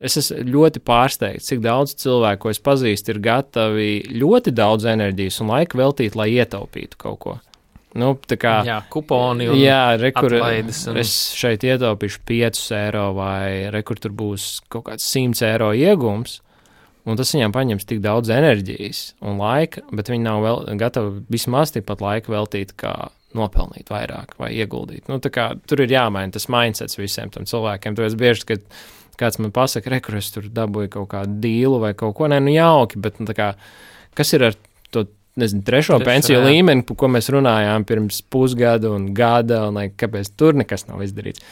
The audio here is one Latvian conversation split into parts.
Es esmu ļoti pārsteigts, cik daudz cilvēku, ko es pazīstu, ir gatavi ļoti daudz enerģijas un laika veltīt, lai ietaupītu kaut ko. Nu, tā kā, kuponi un atlaides. Es šeit ietaupīšu 5 eiro vai rekur tur būs kaut kāds 100 eiro iegums, un tas viņām paņems tik daudz enerģijas un laika, bet viņi nav gatavi vismaz tikpat laika veltīt, kā nopelnīt vairāk vai ieguldīt. Nu, tā kā tur ir jāmaina tas mindsets visiem tam cilvēkiem. Tāpēc bieži, kad kāds man pasaka, rekur, es tur dabūju kaut kādu dīlu vai kaut ko, jauki, bet tā kā, kas ir ar to, nezinu, trešo pensiju līmeni, par ko mēs runājām pirms pusgada un gada, un kāpēc tur nekas nav izdarīts.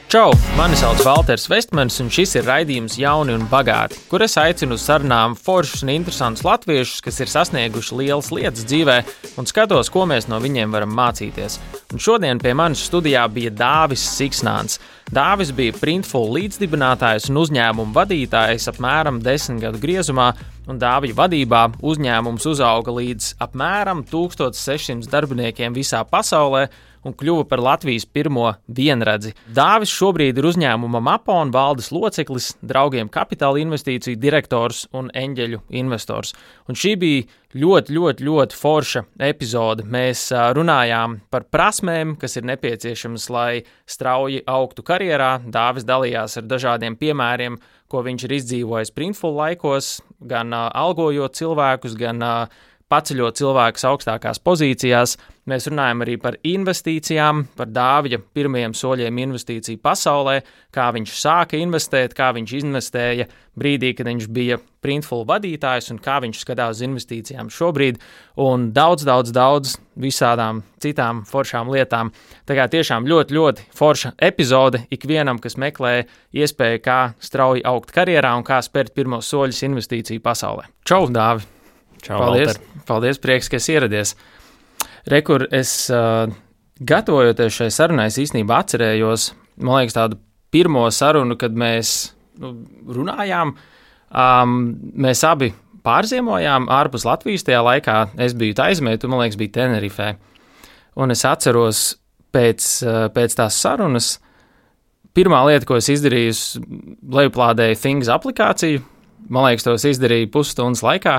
Čau, mani sauc Valters Vestmans, un šis ir raidījums Jauni un bagāti, kur es aicinu uz sarunām foršus un interesantus latviešus, kas ir sasnieguši lielas lietas dzīvē, un skatos, ko mēs no viņiem varam mācīties. Un šodien pie manis studijā bija Dāvis Siksnāns. Dāvis bija Printful līdzdibinātājs un uzņēmumu vadītājs apmēram 10 gadu griezumā, un Dāvija vadībā uzņēmums uzauga līdz apmēram 1600 darbiniekiem visā pasaulē, un kļuva par Latvijas pirmo vienradzi. Dāvis šobrīd ir uzņēmuma Mapon valdes loceklis, Draugiem kapitāla investīciju direktors un eņģeļu investors. Un šī bija ļoti forša epizode. Mēs runājām par prasmēm, kas ir nepieciešamas, lai strauji augtu karjerā. Dāvis dalījās ar dažādiem piemēriem, ko viņš ir izdzīvojis Printful laikos, gan algojot cilvēkus, gan paceļot cilvēkus augstākās pozīcijās. Mēs runājam arī par investīcijām, par Dāvija pirmajiem soļiem investīciju pasaulē, kā viņš sāka investēt, kā viņš investēja brīdī, kad viņš bija Printful vadītājs un kā viņš skatās uz investīcijām šobrīd un daudz visādām citām foršām lietām. Tā kā tiešām ļoti forša epizode ikvienam, kas meklē iespēju, kā strauji augt karjerā un kā spērt pirmos soļus investīciju pasaulē. Čau, Dāvi! Čau, Paldies, prieks, ka esi ieradies. Rekur, es gatavojoties šai sarunai, es īstenībā atcerējos, man liekas, tādu pirmo sarunu, kad mēs runājām. Mēs abi pārziemojām ārpus Latvijas tajā laikā. Es biju Taizmē, tu, man liekas, biji Tenerifē. Un es atceros pēc tās sarunas, pirmā lieta, ko es izdarīju, lejuplādēju Things aplikāciju. Man liekas, to es izdarīju pusstundas laikā.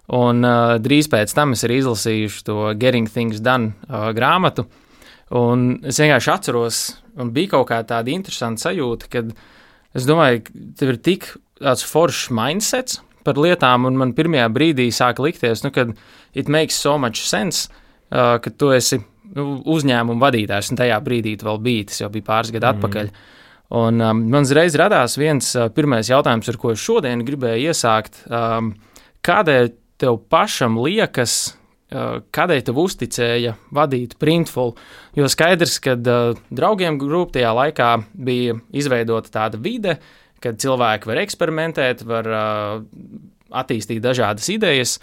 Un drīz pēc tam es arī izlasīju to Getting Things Done grāmatu, un es vienkārši atceros, un bija kaut kā tāda interesanta sajūta, kad es domāju, ka tev ir tik tāds foršs mindsets par lietām, un man pirmajā brīdī sāka likties, kad it makes so much sense, ka tu esi uzņēmuma vadītājs, un tajā brīdī tu vēl biji, tas jau bija pāris gadu atpakaļ. Un man uzreiz radās viens pirmais jautājums, ar ko es šodien gribēju iesākt, kādēļ tev pašam liekas, kādēļ tev uzticēja vadīt Printful, jo skaidrs, ka Draugiem grupa tajā laikā bija izveidota tāda vide, kad cilvēki var eksperimentēt, var attīstīt dažādas idejas,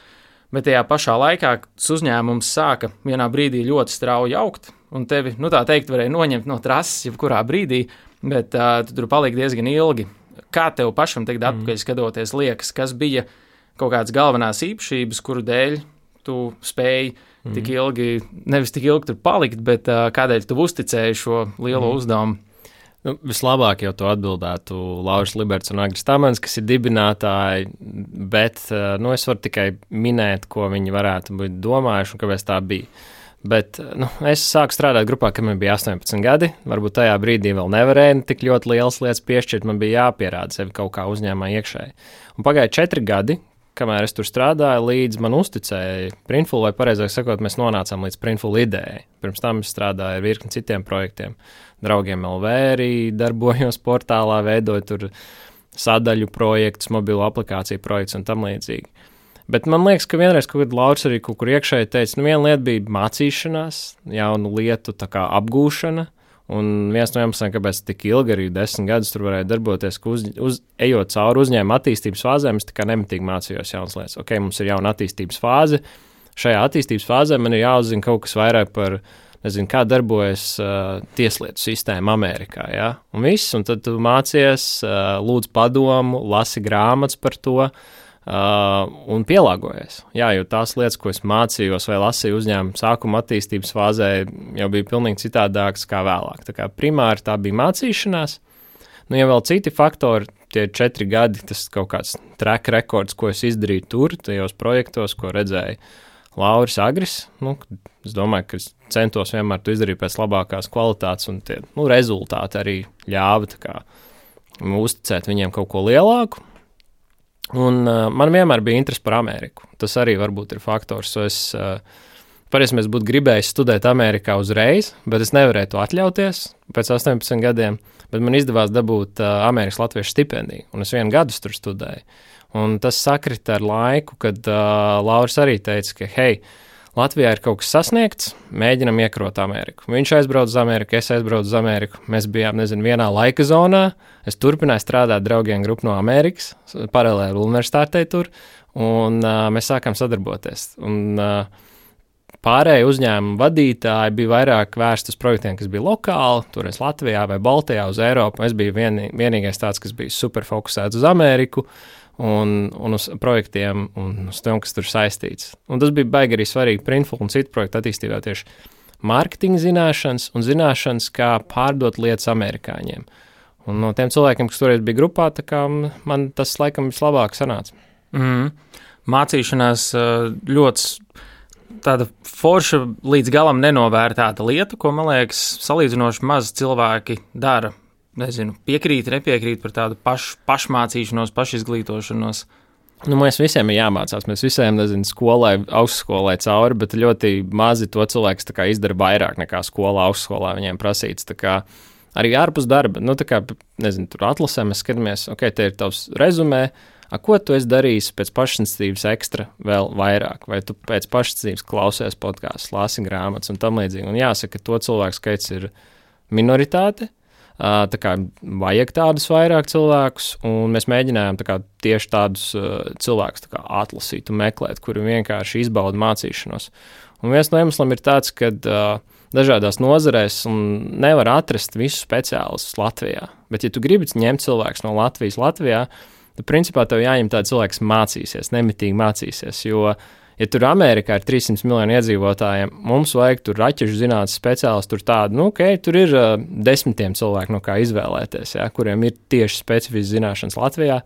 bet tajā pašā laikā tas uzņēmums sāka vienā brīdī ļoti strauji augt, un tevi, tā teikt, varēja noņemt no trases jebkurā brīdī, bet tu tur paliki diezgan ilgi. Kā tev pašam tagad atpakaļ skatoties liekas, kas bija kaut kādas galvenās īpašības, kuru dēļ tu spēji tik ilgi, nevis tik ilgi tur palikt, bet kādēļ tu uzticēji šo lielo uzdevumu? Vislabāk jau to atbildētu Lauris Liberts un Agris Tamans, kas ir dibinātāji, bet es varu tikai minēt, ko viņi varētu būt domājuši un kāpēc tā bija. Bet es sāku strādāt grupā, kad man bija 18 gadi. Varbūt tajā brīdī vēl nevarēju tik ļoti lielas lietas piešķirt, man bija jāpierāda sevi kaut kā uzņēmumā iekšēji. Un pagāja 4 gadi, kamēr es tur strādāju, līdz man uzticēja Printful, vai pareizāk sakot, mēs nonācām līdz Printful idejai. Pirms tam es strādāju ar virkni citiem projektiem. Draugiem LV arī darbojos portālā, veidoju tur sadaļu projektus, mobilo aplikāciju projektus un tam līdzīgi. Bet man liekas, ka vienreiz kaut kad Lauris arī kaut kur iekšēji teica, viena lieta bija mācīšanās, jaunu lietu tā kā apgūšana, un viens no iemesliem, kāpēc tik ilgi arī 10 gadus tur varēja darboties, ka ejot cauri uzņēmuma attīstības fāzēm, es tā kā nemitīgi mācījos jaunas lietas. Ok, mums ir jauna attīstības fāze, šajā attīstības fāzē man ir jāuzzina kaut kas vairāk par, kā darbojas tieslietu sistēma Amerikā, ja? Un viss, un tad tu mācies, lūdz padomu, lasi grāmatas par to, un pielāgojies. Jā, jo tās lietas, ko es mācījos vai lasīju uzņēmumu sākuma attīstības fāzē, jau bija pilnīgi citādākas kā vēlāk. Tā kā primāri tā bija mācīšanās. Nu, ja vēl citi faktori, tie 4 gadi, tas kaut kāds track rekords, ko es izdarīju tur, tajos projektos, ko redzēju Lauris Agris. Nu, es domāju, ka es centos vienmēr to izdarīt pēc labākās kvalitātes, un tie rezultāti arī ļāva tā kā uzticēt viņiem kaut ko lielāku. Un man vienmēr bija interesi par Ameriku. Tas arī varbūt ir faktors. Patiesībā es būtu gribējis studēt Amerikā uzreiz, bet es nevarēju to atļauties pēc 18 gadiem. Bet man izdevās dabūt Amerikas Latviešu stipendiju, un es 1 gadu tur studēju. Un tas sakrita ar laiku, kad Lauris arī teica, ka, hei, Latvijā ir kaut kas sasniegts, mēģinam iekrot Ameriku. Viņš aizbrauc uz Ameriku, es aizbraucu uz Ameriku. Mēs bijām, vienā laika zonā. Es turpināju strādāt draugiem grupu no Amerikas, paralēli universitātei tur, un mēs sākām sadarboties. Un pārējie uzņēmumu vadītāji bija vairāk vērsti uz projektiem, kas bija lokāli, toreiz Latvijā vai Baltijā uz Eiropu. Es biju vienīgais tāds, kas bija super fokusēts uz Ameriku. Un uz projektiem un uz tiem, kas tur saistīts. Un tas bija baigi arī svarīgi Printful un citu projektu attīstībā tieši mārketinga zināšanas un zināšanas, kā pārdot lietas amerikāņiem. Un no tiem cilvēkiem, kas toreiz bija grupā, tā kā man tas laikam vislabāk sanāca. Mācīšanās ļoti tāda forša līdz galam nenovērtēta lieta, ko, man liekas, salīdzinoši maz cilvēki dara. Nezinu, piekrīt, nepiekrīt par tādu pašmācīšanos, pašizglītošanos. Nu, mēs visiem ir jāmācās. Mēs visiem, skolai, augstskolai cauri, bet ļoti mazi to cilvēks tā kā izdara vairāk nekā skolā, augstskolā viņiem prasīts. Tā kā arī ārpus darba, tur atlasē mēs skatāmies, ok, te ir tavs rezumē, ko tu esi darījis pēc pašinstīvas ekstra vēl vairāk, vai tu pēc pašinstīvas klausies podkāstus, lasi grāmatas un tam līdzīgi. Un jāsaka, ka to cilvēku skaits ir minoritāte. Tā kā vajag tādus vairāk cilvēkus, un mēs mēģinājām tieši tādus cilvēkus atlasīt un meklēt, kuri vienkārši izbauda mācīšanos. Un viens no iemesliem ir tāds, ka dažādās nozarēs nevar atrast visus speciālistus Latvijā. Bet, ja tu gribi ņemt cilvēkus no Latvijā, tad principā tev jāņem tādi cilvēki, kas mācīsies, nemitīgi mācīsies, jo ja tur Amerikā ir 300 miljoni iedzīvotājiem, mums vajag tur raķešu zinātnes speciālistu, tur tādu, tur ir 10 cilvēki, no kā izvēlēties, ja, kuriem ir tieši specifiskas zināšanas Latvijā,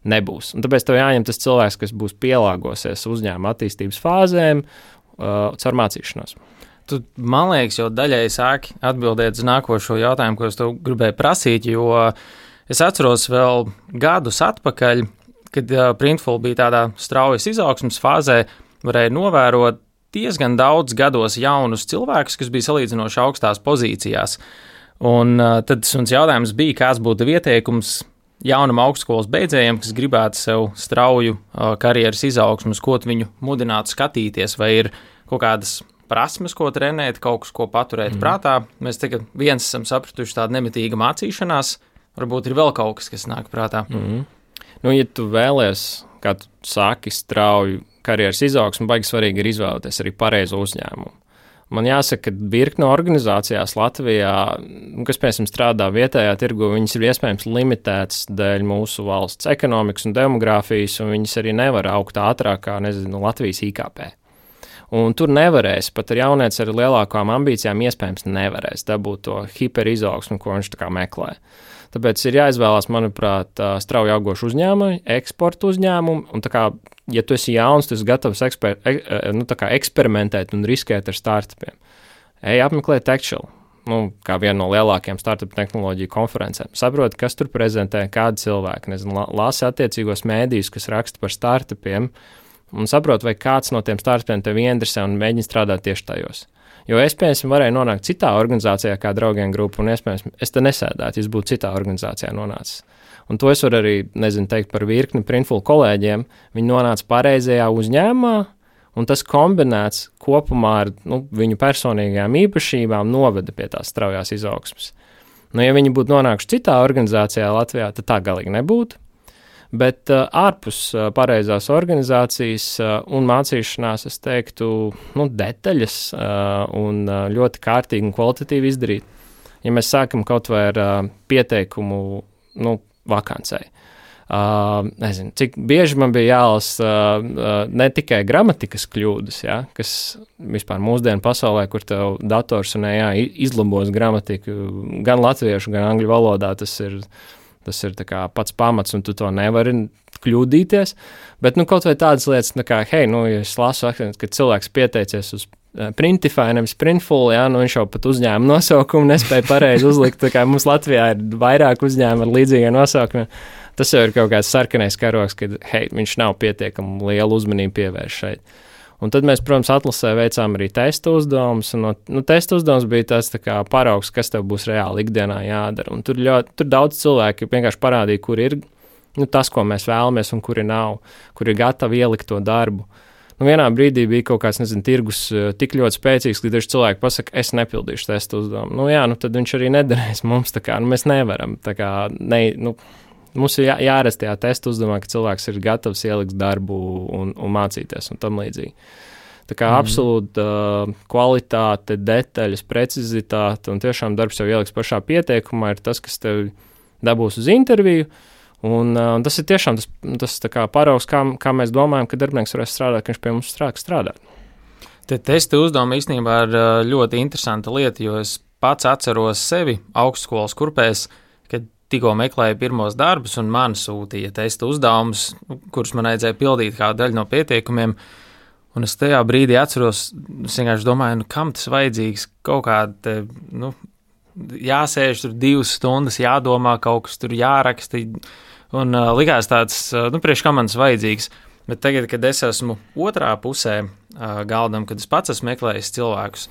nebūs. Un tāpēc tev jāņem tas cilvēks, kas būs pielāgosies uzņēmuma attīstības fāzēm caur mācīšanos. Tu, man liekas, jau daļai sāki atbildēt uz nākošo jautājumu, ko es tev gribēju prasīt, jo es atceros vēl gadus atpakaļ, kad Printful bija tādā straujas izaugsmas fāzē, varēja novērot diezgan daudz gados jaunus cilvēkus, kas bija salīdzinoši augstās pozīcijās. Un tad suns jautājums bija, kāds būtu ieteikums jaunam augstskolas beidzējiem, kas gribētu sev strauju karjeras izaugsmus, ko viņu mudinātu skatīties, vai ir kaut kādas prasmes, ko trenēt, kaut kas, ko paturēt prātā. Mēs tagad viens esam sapratuši tādu nemitīgu mācīšanās, varbūt ir vēl kaut kas nāk prātā. Nu, ja tu vēlies, kā tu sāki strauju karjeras izaugsmu, baigi svarīgi ir izvēlēties arī pareizo uzņēmumu. Man jāsaka, ka virkne organizācijās Latvijā, kas, piemēram, strādā vietējā tirgu, viņas ir iespējams limitētas dēļ mūsu valsts ekonomikas un demogrāfijas, un viņas arī nevar augt ātrāk kā, Latvijas IKP. Un tur nevarēs, pat ar jaunieci ar lielākām ambīcijām iespējams nevarēs dabūt to hiperizaugsmu, ko viņš tā kā meklē. Tāpēc ir jāizvēlās, manuprāt, strauji augošu uzņēmumu, eksporta uzņēmumu, un tā kā, ja tu esi jauns, tu esi gatavs eksperimentēt un riskēt ar startupiem. Ej apmeklēt Techshell, kā vienu no lielākajām startup tehnoloģiju konferencēm. Saproti, kas tur prezentē, kādi cilvēki, lasi attiecīgos mēdījus, kas raksta par startupiem, un saproti, vai kāds no tiem startupiem tev ieinteresē un mēģina strādāt tieši tajos. Jo es, piemēram, varēju nonākt citā organizācijā kā draugiem grupu, un iespējams, es te nesēdētu, ja es būtu citā organizācijā nonācis. Un to es varu arī, teikt par virkni Printful kolēģiem. Viņi nonāca pareizajā uzņēmumā, un tas kombinēts kopumā ar viņu personīgajām īpašībām noveda pie tās straujās izaugsmes. Ja viņi būtu nonākuši citā organizācijā Latvijā, tad tā galīgi nebūtu. Bet ārpus pareizās organizācijas un mācīšanās, es teiktu, detaļas un ļoti kārtīgi un kvalitatīvi izdarīt. Ja mēs sākam kaut vai ar pieteikumu vakancei. Nezinu, cik bieži man bija jālasa ne tikai gramatikas kļūdas, ja, kas vispār mūsdienu pasaulē, kur tev dators un AI izlabos gramatiku gan latviešu, gan angļu valodā, tas ir tā kā pats pamats, un tu to nevari kļūdīties. Bet kaut vai tādas lietas, kā, ja es lasu, ka cilvēks pieteicies uz Printify, nevis Printful, ja, viņš jau pat uzņēma nosaukumu nespēja pareizi uzlikt, tā kā mums Latvijā ir vairāk uzņēma ar līdzīgiem nosaukumiem. Tas jau ir kaut kāds sarkanais karogs, kad, viņš nav pietiekami lielu uzmanību pievērš šeit. Un tad mēs, protams, atlasē veicām arī testu uzdevumus, un testu uzdevums bija tas tā kā paraugs, kas tev būs reāli ikdienā jādara. Un tur daudz cilvēki vienkārši parādīja, kur ir tas, ko mēs vēlamies, un kuri nav, kuri ir gatavi ielikt to darbu. Vienā brīdī bija kaut kāds, tirgus tik ļoti spēcīgs, ka daži cilvēki pasaka, es nepildīšu testu uzdevumu. Tad viņš arī nedarēs mums, tā kā, mēs nevaram, tā kā, mums ir jāredz tajā testu uzdevumā, ka cilvēks ir gatavs ielikt darbu un mācīties un tam līdzīgi. Tā kā absolūta kvalitāte, detaļas, precizitāte un tiešām darbs jau ieliks pašā pieteikumā ir tas, kas tev dabūs uz interviju. Un tas ir tiešām tas tā kā paraugs, kā mēs domājam, ka darbinieks varēs strādāt, ka viņš pie mums strādāt. Te testa uzdevuma īstenībā ir ļoti interesanta lieta, jo es pats atceros sevi augstskolas kurpēs, kad tikko meklēju pirmos darbus un man sūtīja testa uzdevumus, kurus man vajadzēja pildīt kā daļu no pieteikumiem. Un es tajā brīdī atceros, es vienkārši domāju, kam tas vajadzīgs, kaut kāda, jāsēž tur 2 stundas, jādomā, kaut kas tur jāraksta, un likās tāds, priekš kā man tas vajadzīgs. Bet tagad, kad es esmu otrā pusē galdam, kad es pats esmu meklējis cilvēkus,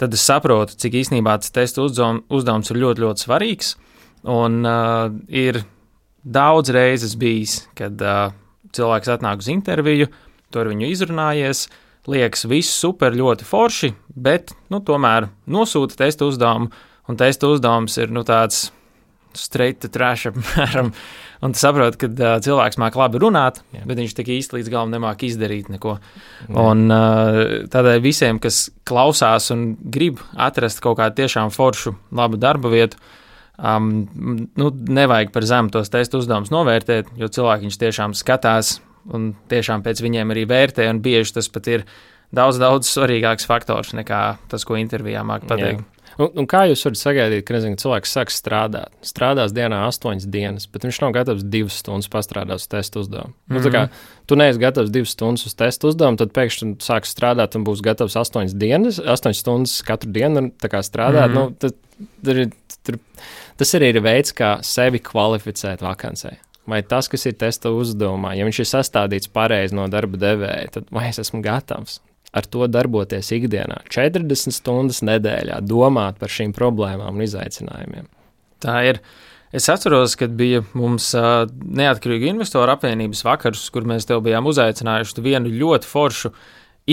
tad es saprotu, cik īstenībā tas testa uzdevums ir ļoti, ļoti svarīgs. Un ir daudz reizes bijis, kad cilvēks atnāk uz interviju, tu ar viņu izrunājies, liekas viss super, ļoti forši, bet, tomēr nosūta testa uzdevumu, un testa uzdevums ir, tāds straight to trash apmēram, un tu saproti, ka cilvēks māk labi runāt, bet viņš tik īsti līdz galam nemāk izdarīt neko. Un tādēļ visiem, kas klausās un grib atrast kaut kādu tiešām foršu, labu darba vietu, nevajag par zemu tos testu uzdevumus novērtēt, jo cilvēki viņš tiešām skatās un tiešām pēc viņiem arī vērtē, un bieži tas pat ir daudz svarīgāks faktors nekā tas, ko intervijā māk pateikt. Un kā jūs varat sagaidīt, ka cilvēks sāks strādāt? Strādās dienā 8 dienas, bet viņš nav gatavs 2 stundas pastrādāt uz testu uzdevumu. Tā kā tu neesi gatavs 2 stundas uz testu uzdevumu, tad pēkšņi sāks strādāt un būs gatavs 8 stundas katru dienu tā kā strādāt. Tas arī ir veids, kā sevi kvalificēt vakancē. Vai tas, kas ir testa uzdevumā, ja viņš ir sastādīts pareizi no darba devēja, tad vai es esmu gatavs ar to darboties ikdienā, 40 stundas nedēļā, domāt par šīm problēmām un izaicinājumiem? Tā ir. Es atceros, kad bija mums Neatkarīgu investoru apvienības vakars, kur mēs tev bijām uzaicinājuši vienu ļoti foršu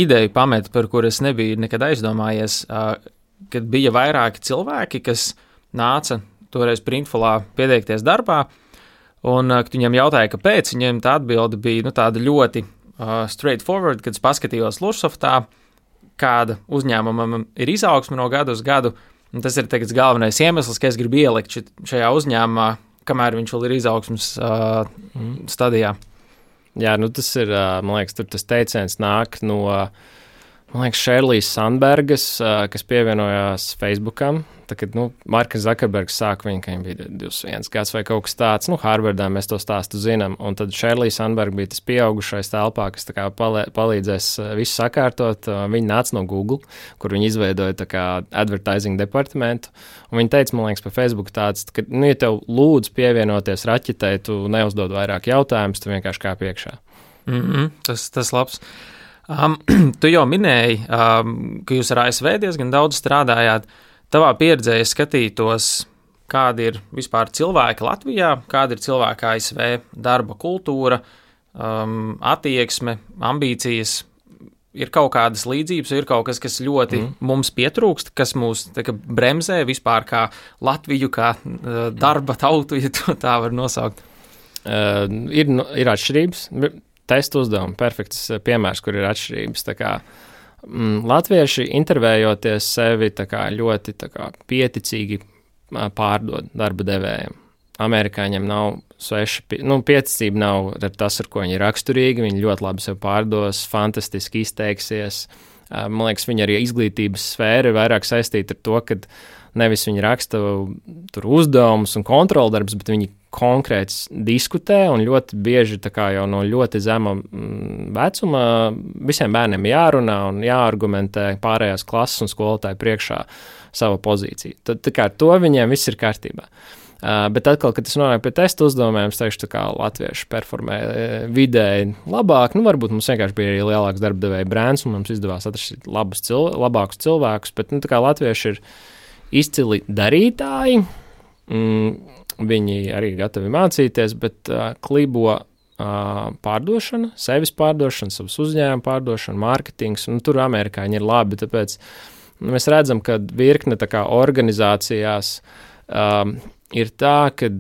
ideju pamet, par kur es nebiju nekad aizdomājies, kad bija vairāki cilvēki, kas nāca toreiz Printfulā pieteikties darbā, un kad viņiem jautāja, kāpēc, viņiem tā atbilde bija tāda ļoti straightforward, kad es paskatījos Lursoftā, kāda uzņēmumam ir izaugsme no gadu uz gadu, un tas ir tagad galvenais iemesls, ka es gribu ielikt šajā uzņēmumā, kamēr viņš vēl ir izaugsmes stadijā. Jā, tas ir, man liekas, tur tas teiciens nāk no, man liekas, Šerlijas Sandbergas, kas pievienojās Facebookam. Tā, kad Marka Zakerbergs sāka viņu, ka viņam bija 21 gads vai kaut kas tāds, Harvardā mēs to stāstu zinām, un tad Šerlija Sandberga bija tas pieaugušais telpā, kas tā kā palīdzēs visu sakārtot. Viņa nāca no Google, kur viņi izveidoja tā kā advertising departamentu, un viņa teica, man liekas, pa Facebook tāds, ka, ja tev lūdzu pievienoties raķetei, tu neuzdod vairāk jautājumus, tu vienkārši kā piekšā. Tas labs. Tu jau minēji, ka jūs ar ASV diezgan daudz strādājāt. Tavā pieredzē es skatītos, kāda ir vispār cilvēki Latvijā, kāda ir cilvēka ASV darba kultūra, attieksme, ambīcijas. Ir kaut kādas līdzības, ir kaut kas, kas ļoti mums pietrūkst, kas mūs bremzē vispār kā Latviju, kā darba tautu, ja to tā var nosaukt. Ir atšķirības. Testa uzdevumi, perfekts piemērs, kur ir atšķirības. Tā kā latvieši intervējoties sevi tā kā ļoti tā kā pieticīgi pārdod darba devējiem. amerikāņiem nav pieticība nav tas, ar ko viņi ir raksturīgi. Viņi ļoti labi sev pārdos, fantastiski izteiksies. Man liekas, viņa arī izglītības sfēra ir vairāk saistīta ar to, ka nevis viņi raksta tur uzdevumus un kontroldarbus, bet viņi konkrēti diskutē un ļoti bieži tā kā jau no ļoti zema vecuma visiem bērniem jārunā un jāargumentē pārējās klases un skolotāju priekšā savu pozīciju. Tad tā kā ar to viņiem viss ir kārtībā. Bet atkal, kad es nonāku pie testu uzdevumiem, es teikšu, kā latvieši performē vidēji labāk. Varbūt mums vienkārši bija arī lielāks darba devēja brands un mums izdevās atrast labākus cilvēkus, bet tā kā latvieši ir izcili darītāji, viņi arī gatavi mācīties, bet klibo pārdošana, sevis pārdošana, savas uzņēmuma pārdošana, mārketings, tur amerikāņi ir labi, tāpēc mēs redzam, ka virkne tā kā organizācijās ir tā, ka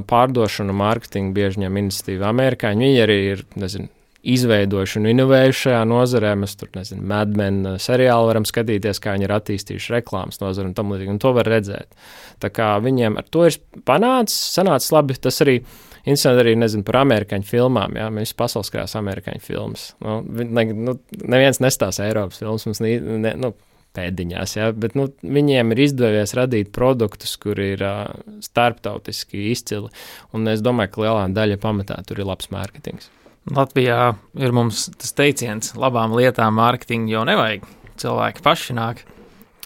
pārdošana un mārketinga bieži ņem iniciatīvu amerikāņi. Viņi arī ir, izveidojuši un inovējuši šajā nozarē. Mēs tur, Mad Men seriālu varam skatīties, kā viņi ir attīstījuši reklāmas nozari un tam līdzīgi, un to var redzēt. Tā kā viņiem ar to ir sanācis labi, tas arī interesanti arī, par amerikāņu filmām, jā, mēs pasaules krās amerikāņu filmas. Neviens nestāsta Eiropas filmas, mums pēdiņās, ja, bet viņiem ir izdevies radīt produktus, kuri ir starptautiski izcili, un es domāju, ka lielā daļa pamatā tur ir labs mārketings. Latvijā ir mums tas teiciens, labām lietām mārketingu jau nevajag, cilvēki paši nāk.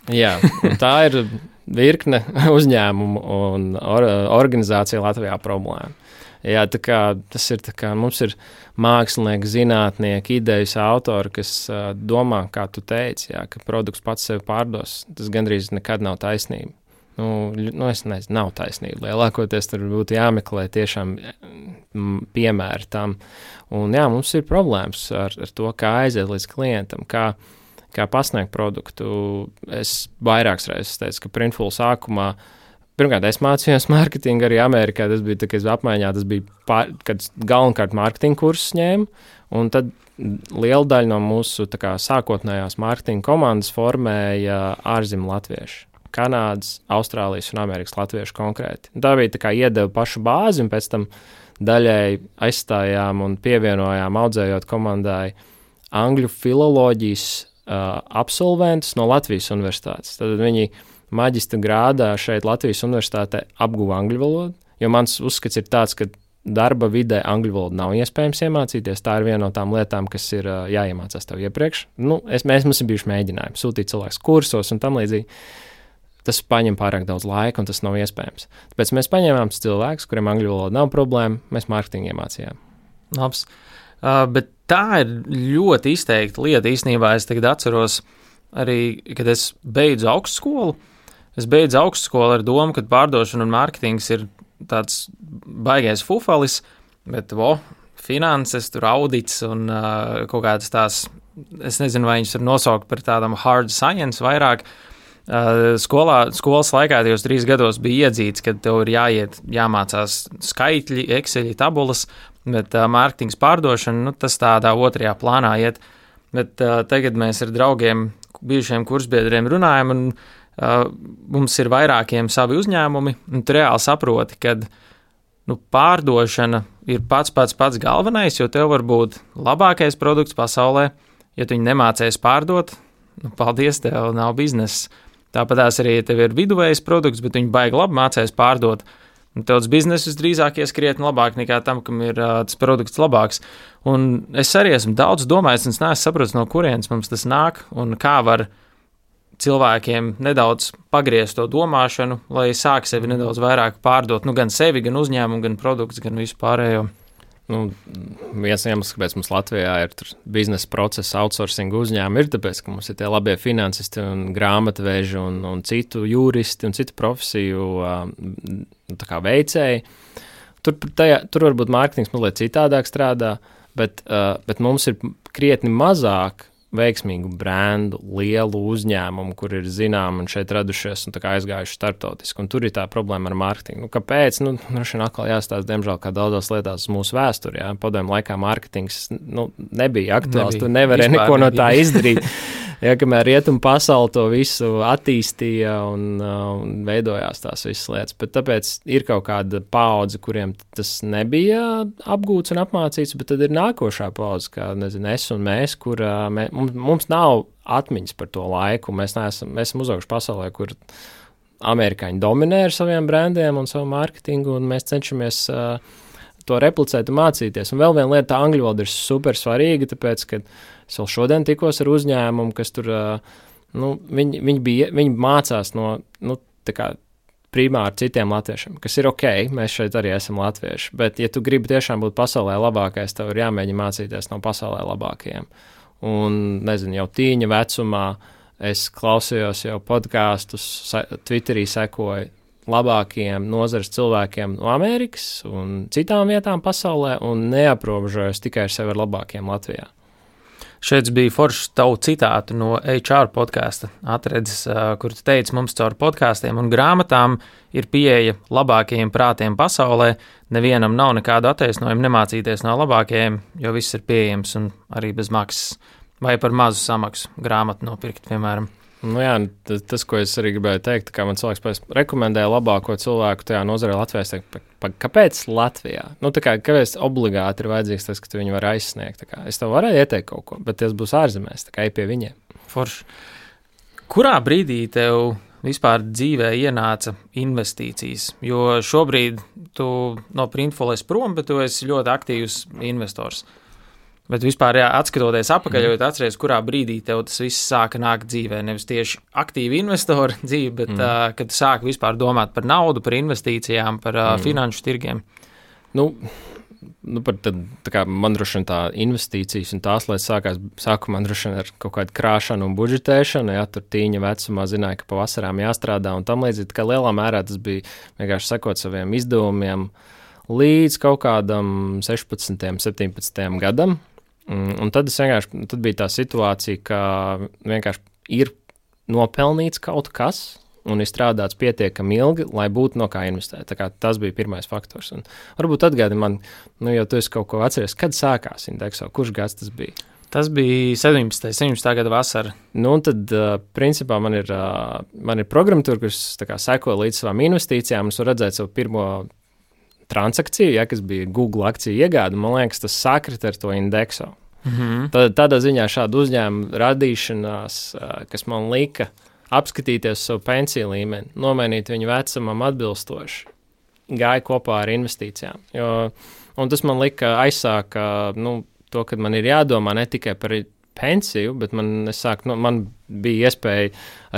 Jā, tā ir virkne uzņēmumu un organizācija Latvijā problēma. Jā, tā kā tas ir tā kā mums ir mākslinieki, zinātnieki, idejas autori, kas domā, kā tu teici, jā, ka produkts pats sevi pārdos. Tas gandrīz nekad nav taisnība. Es nezinu, nav taisnība. Lielākoties tur būtu jāmeklē tiešām piemēri tam. Un jā, mums ir problēmas ar to, kā aiziet līdz klientam, kā pasniegt produktu. Es vairākas reizes teicu, ka Printful sākumā pirmkārt, es mācījos mārketingu arī Amerikā. Tas bija tā, ka es apmaiņā, kad galvenokārt mārketinga kursus ņēmu, un tad liela daļa no mūsu sākotnējās mārketinga komandas formēja ārzemju latvieši. Kanādas, Austrālijas un Amerikas latvieši konkrēti. Tā bija iedeva pašu bāzi, un pēc tam daļēji aizstājām un pievienojām, audzējot komandai angļu filoloģijas absolventus no Latvijas universitātes. Tad viņi maģistra grādā šeit Latvijas universitātē apguva angļu valodu, jo mans uzskats ir tāds, ka darba vidē angļu valodu nav iespējams iemācīties. Tā ir viena no tām lietām, kas ir jāiemācās tev iepriekš. Mums ir bijuši mēģinājumi sūtīt cilvēkus kursos un tam līdzīgi. Tas paņem pārāk daudz laika, un tas nav iespējams. Tāpēc mēs paņēmām cilvēkus, kuriem angļu valoda nav problēma, mēs mārketingu iemācījām. Labs. Bet tā ir ļoti izteikta lieta. Īstenībā es tagad atceros arī, kad es beidzu augstskolu. Es beidzu augstskolu ar domu, ka pārdošana un mārketings ir tāds baigais fufalis, bet finanses, tur audits un kaut kādas tās, es nezinu, vai viņas var nosaukt par tādam hard science vairāk. Skolas laikā tajos 3 gados bija iedzīts, ka tev ir jāmācās skaitļi, Exceļi, tabulas, bet mārketings pārdošana, tas tādā otrajā plānā iet. Bet tagad mēs ar draugiem, bijušiem kursbiedriem runājam, un mums ir vairākiem savi uzņēmumi, un tu reāli saproti, ka pārdošana ir pats galvenais, jo tev var būt labākais produkts pasaulē. Ja tu viņu nemācies pārdot, paldies, tev nav biznesa. Tāpatās arī, ja tev ir viduvējs produkts, bet viņi baigi labi mācēs pārdot, un tevs biznesis drīzāk ieskrietni labāk nekā tam, kam ir tas produkts labāks. Un es arī esmu daudz domājis, un es neesmu sapratis, no kurienes mums tas nāk, un kā var cilvēkiem nedaudz pagriezt to domāšanu, lai sāk sevi nedaudz vairāk pārdot, gan sevi, gan uzņēmumu, gan produkts, gan visu pārējo. Viens iemesls, kāpēc mums Latvijā ir biznesa procesa outsourcing uzņēmumi, ir tāpēc, ka mums ir tie labie finansisti un grāmatveži un citu juristi un citu profesiju veicēji. Tur varbūt mārketings mazliet citādāk strādā, bet mums ir krietni mazāk veiksmīgu brendu, lielu uzņēmumu, kur ir zināmi un šeit radušies un aizgājuši starptautiski. Un tur ir tā problēma ar mārketingu. Kāpēc? Šodien atkal jāstāsta, diemžēl, kā daudzās lietās mūsu vēsturē. Padomju laikā mārketings nebija aktuāls, tu nevarēji neko no tā izdarīt. kamēr rietumu pasauli to visu attīstīja un veidojās tās visas lietas. Bet tāpēc ir kaut kāda paudze, kuriem tas nebija apgūts un apmācīts, bet tad ir nākošā paudze, kā, nezinu, es un mēs, kur mums nav atmiņas par to laiku. Mēs esam uzauguši pasaulē, kur amerikāņi dominē ar saviem brandiem un savu mārketingu, un mēs cenšamies to replicēt un mācīties. Un vēl viena lieta, tā angļu valoda ir super svarīga, tāpēc, ka es vēl šodien tikos ar uzņēmumu, kas tur, viņi mācās no, tā kā primāri citiem latviešiem, kas ir ok, mēs šeit arī esam latvieši, bet ja tu gribi tiešām būt pasaulē labākais, tev ir jāmēģina mācīties no pasaulē labākajiem. Un, nezinu, jau tīņa vecumā es klausījos jau podkāstus, Twitterī sekoju labākajiem nozares cilvēkiem no Amerikas un citām vietām pasaulē un neaprobežojos tikai ar sevi ar labākiem Latvijā. Šeit bija foršs tavu citātu no HR podkāsta atredzes, kur tu teici, mums caur podkāstiem un grāmatām ir pieeja labākajiem prātiem pasaulē, nevienam nav nekādu attaisnojumu nemācīties no labākajiem, jo viss ir pieejams un arī bez maksas vai par mazu samaksu grāmatu nopirkt, piemēram. Jā, tas, ko es arī gribēju teikt, kā man cilvēks rekomendēja labāko cilvēku tajā nozarē Latvijā, es teiktu, kāpēc Latvijā? Kāpēc obligāti ir vajadzīgs tas, ka tu viņu var aizsniegt? Es tev varēju ieteikt kaut ko, bet tas būs ārzemēs, ej pie viņiem. Forši. Kurā brīdī tev vispār dzīvē ienāca investīcijas? Jo šobrīd tu no Printful esi prom, bet tu esi ļoti aktīvs investors. Bet vispār, atskatoties apakaļ, jo atceries, kurā brīdī tev tas viss sāka nākt dzīvē, nevis tieši aktīvi investoru dzīve, bet kad tu sāki vispār domāt par naudu, par investīcijām, par finanšu tirgiem. Man droši vien tā investīcijas un tās lietas sākumā droši vien ar kaut kādu krāšanu un budžetēšanu, tur tīņa vecumā zināja, ka pavasarām jāstrādā un tam līdzīgi, ka lielā mērā tas bija vienkārši sekot saviem izdevumiem līdz kaut kādam 16, 17 gadam. Un tad bija tā situācija, ka vienkārši ir nopelnīts kaut kas un ir strādāts pietiekami ilgi, lai būtu no kā investēt. Tā kā tas bija pirmais faktors. Un varbūt atgādi man, jau tu esi kaut ko atceries, kad sākās Indexo, kurš gads tas bija? Tas bija 17. gada vasara. Un tad, principā, man ir programmatūra, kuras seko līdz savām investīcijām, un es varu redzēt savu pirmo transakciju, kas bija Google akciju iegāde, man liekas, tas sakrita ar to Indexo. Tādā ziņā šāda uzņēmuma radīšanās, kas man lika apskatīties savu pensiju līmeni, nomainīt viņu vecumam atbilstoši, gāja kopā ar investīcijām. Un tas man lika aizsākt to, ka man ir jādomā ne tikai par pensiju, bet man bija iespēja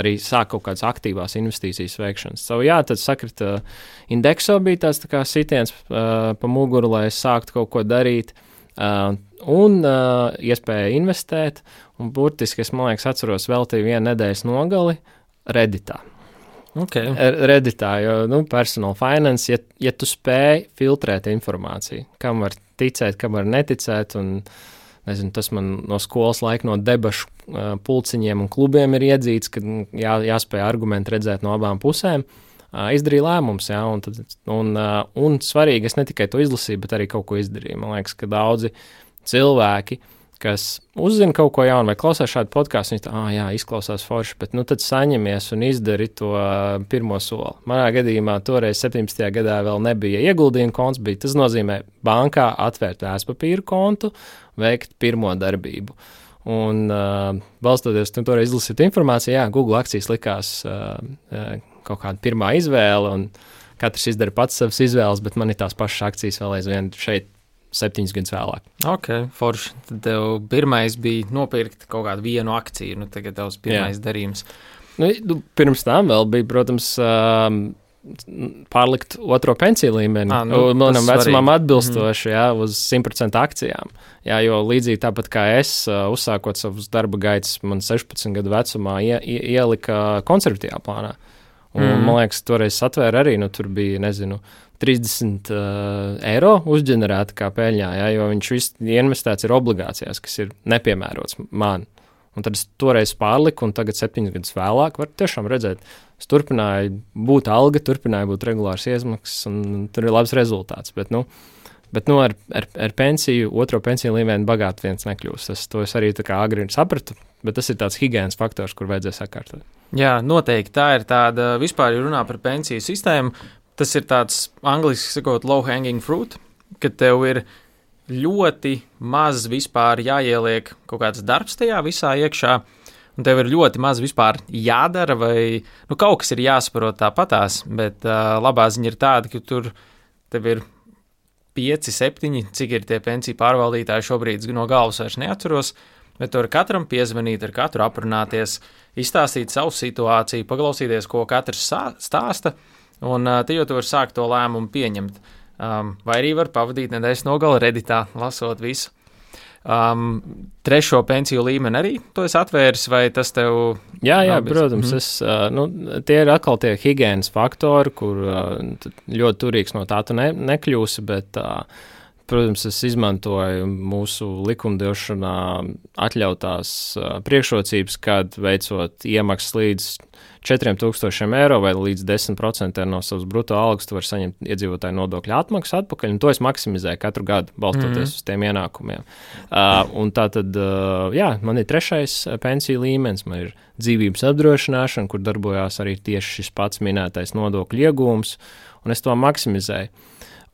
arī sākt kaut kādas aktīvās investīcijas veikšanas. Tad sakrita Indexo bija tāds tā kā sitiens pa muguru, lai es sāktu kaut ko darīt un iespēja investēt. Un burtiski es, man liekas, atceros veltīju vienu nedēļas nogali Redditā. Okay. Redditā, jo personal finance, ja tu spēj filtrēt informāciju, kam var ticēt, kam var neticēt, un nezinu, tas man no skolas laika, no debašu pulciņiem un klubiem ir iedzīts, ka jāspēj argumenti redzēt no abām pusēm. Izdarīju lēmums, un svarīgi, es ne tikai to izlasīju, bet arī kaut ko izdarīju. Man liekas, ka daudzi cilvēki, kas uzzina kaut ko jaunu vai klausās šādu podkāstu, viņi tā, izklausās forši, bet tad saņemies un izdari to pirmo soli. Manā gadījumā toreiz 17. gadā vēl nebija ieguldījuma konts, tas nozīmē bankā atvērt vērtspapīru kontu, veikt pirmo darbību. Un balstoties toreiz izlasīt informāciju, Google akcijas likās kaut kāda pirmā izvēle, un katrs izdara pats savas izvēles, bet man ir tās pašas akcijas vēl aizvien šeit 7 gadus vēlāk. Ok, forši. Tad tev pirmais bija nopirkt kaut kādu vienu akciju, tagad tavs pirmais darījums. Pirms tam vēl bija, protams, pārlikt otro pensiju līmeni. Manam vecumam atbilstoši, uz 100% akcijām. Jo līdzīgi tāpat kā es, uzsākot savus darba gaitas, man 16 gadu vecumā ielika konservatīvā plānā. Un, man liekas, toreiz atvēra arī, tur bija, 30 eiro uzģenerēta kā peļņā, jo viņš viss investēts ir obligācijās, kas ir nepiemērots man. Un tad es toreiz pārliku, un tagad 7 gadus vēlāk var tiešām redzēt, es turpināju būt alga, turpināju būt regulārs iemaksas, un tur ir labs rezultāts. Bet ar pensiju, otro pensiju līmeni bagāti viens nekļūst. To es arī tā kā agri sapratu, Bet tas ir tāds higienas faktors, kur vajadzēja sakārtot. Jā, noteikti. Tā ir tāda, vispār, ja runā par pensiju sistēmu, tas ir tāds, angliski sakot, low-hanging fruit, kad tev ir ļoti maz vispār jāieliek kaut kāds darbs tajā visā iekšā, un tev ir ļoti maz vispār jādara, vai kaut kas ir jāsaprot tāpatās, bet labā ziņa ir tāda, ka tur tev ir 5, 7, cik ir tie pensiju pārvaldītāji šobrīd no galvas vairs neatceros, bet tu ar katram piezvanīt, ar katru aprunāties, izstāstīt savu situāciju, paklausīties, ko katrs stāsta, un te jau tu vari sākt to lēmumu pieņemt. Vai arī var pavadīt nedēļas nogali Redditā, lasot visu. Trešo pensiju līmeni arī tu esi atvēris, vai tas tev... Jā, protams, tie ir atkal tie higienas faktori, kur ļoti turīgs no tā tu nekļūsi, bet... Protams, es izmantoju mūsu likumdošanā atļautās priekšrocības, kad veicot iemaksas līdz 4,000 eiro vai līdz 10% no savas bruto algas, tu vari saņemt iedzīvotāju nodokļu atmaksu atpakaļ, un to es maksimizēju katru gadu, balstoties uz tiem ienākumiem. Un tā tad, man ir 3. pensiju līmenis, man ir dzīvības apdrošināšana, kur darbojās arī tieši šis pats minētais nodokļu iegūms, un es to maksimizēju.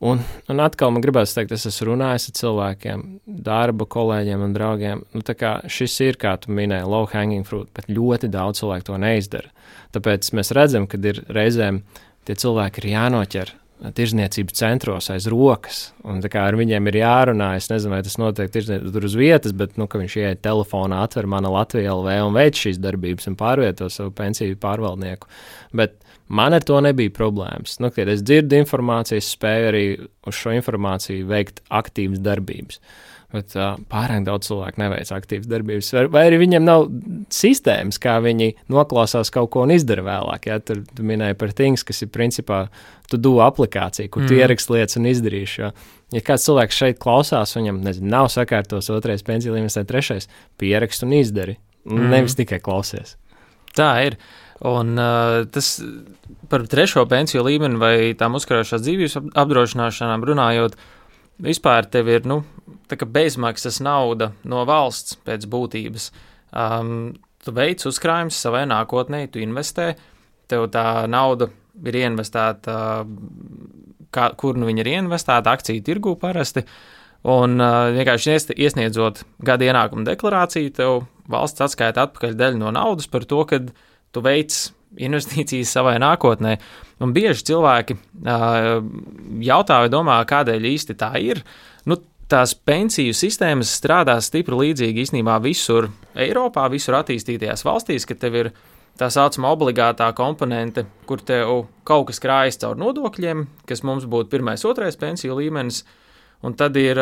Un atkal man gribētu teikt, es esmu runājis ar cilvēkiem, darba kolēģiem un draugiem. Tā kā šis ir, kā tu minēji, low hanging fruit, bet ļoti daudz cilvēku to neizdara. Tāpēc mēs redzam, ka ir reizēm tie cilvēki ir jānoķer tirzniecības centros aiz rokas, un tā kā ar viņiem ir jārunā, es nezinu, vai tas notiek tur uz vietas, bet, ka viņš ieiet telefonā, atver Mana Latvija LV un veic šīs darbības un pārvieto savu pensiju pārvaldnieku. Bet man ar to nebija problēmas. Kad es dzirdu informāciju, es spēju arī uz šo informāciju veikt aktīvas darbības. Bet pārāk daudz cilvēku neveic aktīvas darbības. Vai arī viņiem nav sistēmas, kā viņi noklausās kaut ko un izdara vēlāk. Ja? Tur tu minēji par Things, kas ir principā to-do aplikācija, kur tu ieraksti lietas un izdarīši. Ja kāds cilvēks šeit klausās, viņam nav sakārtos 2. pensiju līmenis vai 3. pierakst un izdari. Nevis tikai klausies. Tā ir. Un tas par 3. pensiju līmeni vai tām uzkrājušās dzīvības apdrošināšanām runājot, vispār tev ir tā kā bezmaksas nauda no valsts pēc būtības. Tu veic uzkrājums savai nākotnē, tu investē, tev tā nauda ir ieinvestēta, kur viņa ir ieinvestēta, akciju tirgū parasti, un vienkārši iesniedzot gada ienākumu deklarāciju, tev valsts atskaita atpakaļ daļu no naudas par to, kad tu veic investīcijas savai nākotnē. Un bieži cilvēki jautā vai domā, kādēļ īsti tā ir. Tās pensiju sistēmas strādā stipri līdzīgi īstenībā visur Eiropā, visur attīstītajās valstīs, ka tev ir tā saucamā obligātā komponente, kur tev kaut kas krājas caur nodokļiem, kas mums būtu 1., 2. pensiju līmenis, un tad ir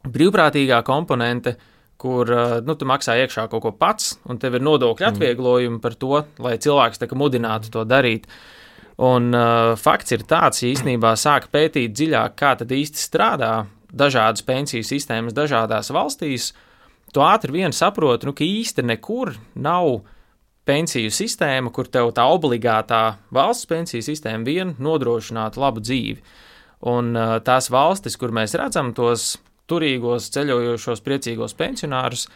brīvprātīgā komponente, kur tu maksā iekšā kaut ko pats, un tev ir nodokļu atvieglojumi par to, lai cilvēks tā kā mudinātu to darīt. Un fakts ir tāds, ja īstenībā sāk pētīt dziļāk, kā tad īsti strādā dažādas pensiju sistēmas dažādās valstīs, tu ātri vien saproti, ka īsti nekur nav pensiju sistēma, kur tev tā obligātā valsts pensiju sistēma vien nodrošinātu labu dzīvi. Un tās valstis, kur mēs redzam tos turīgos, ceļojošos, priecīgos pensionārus,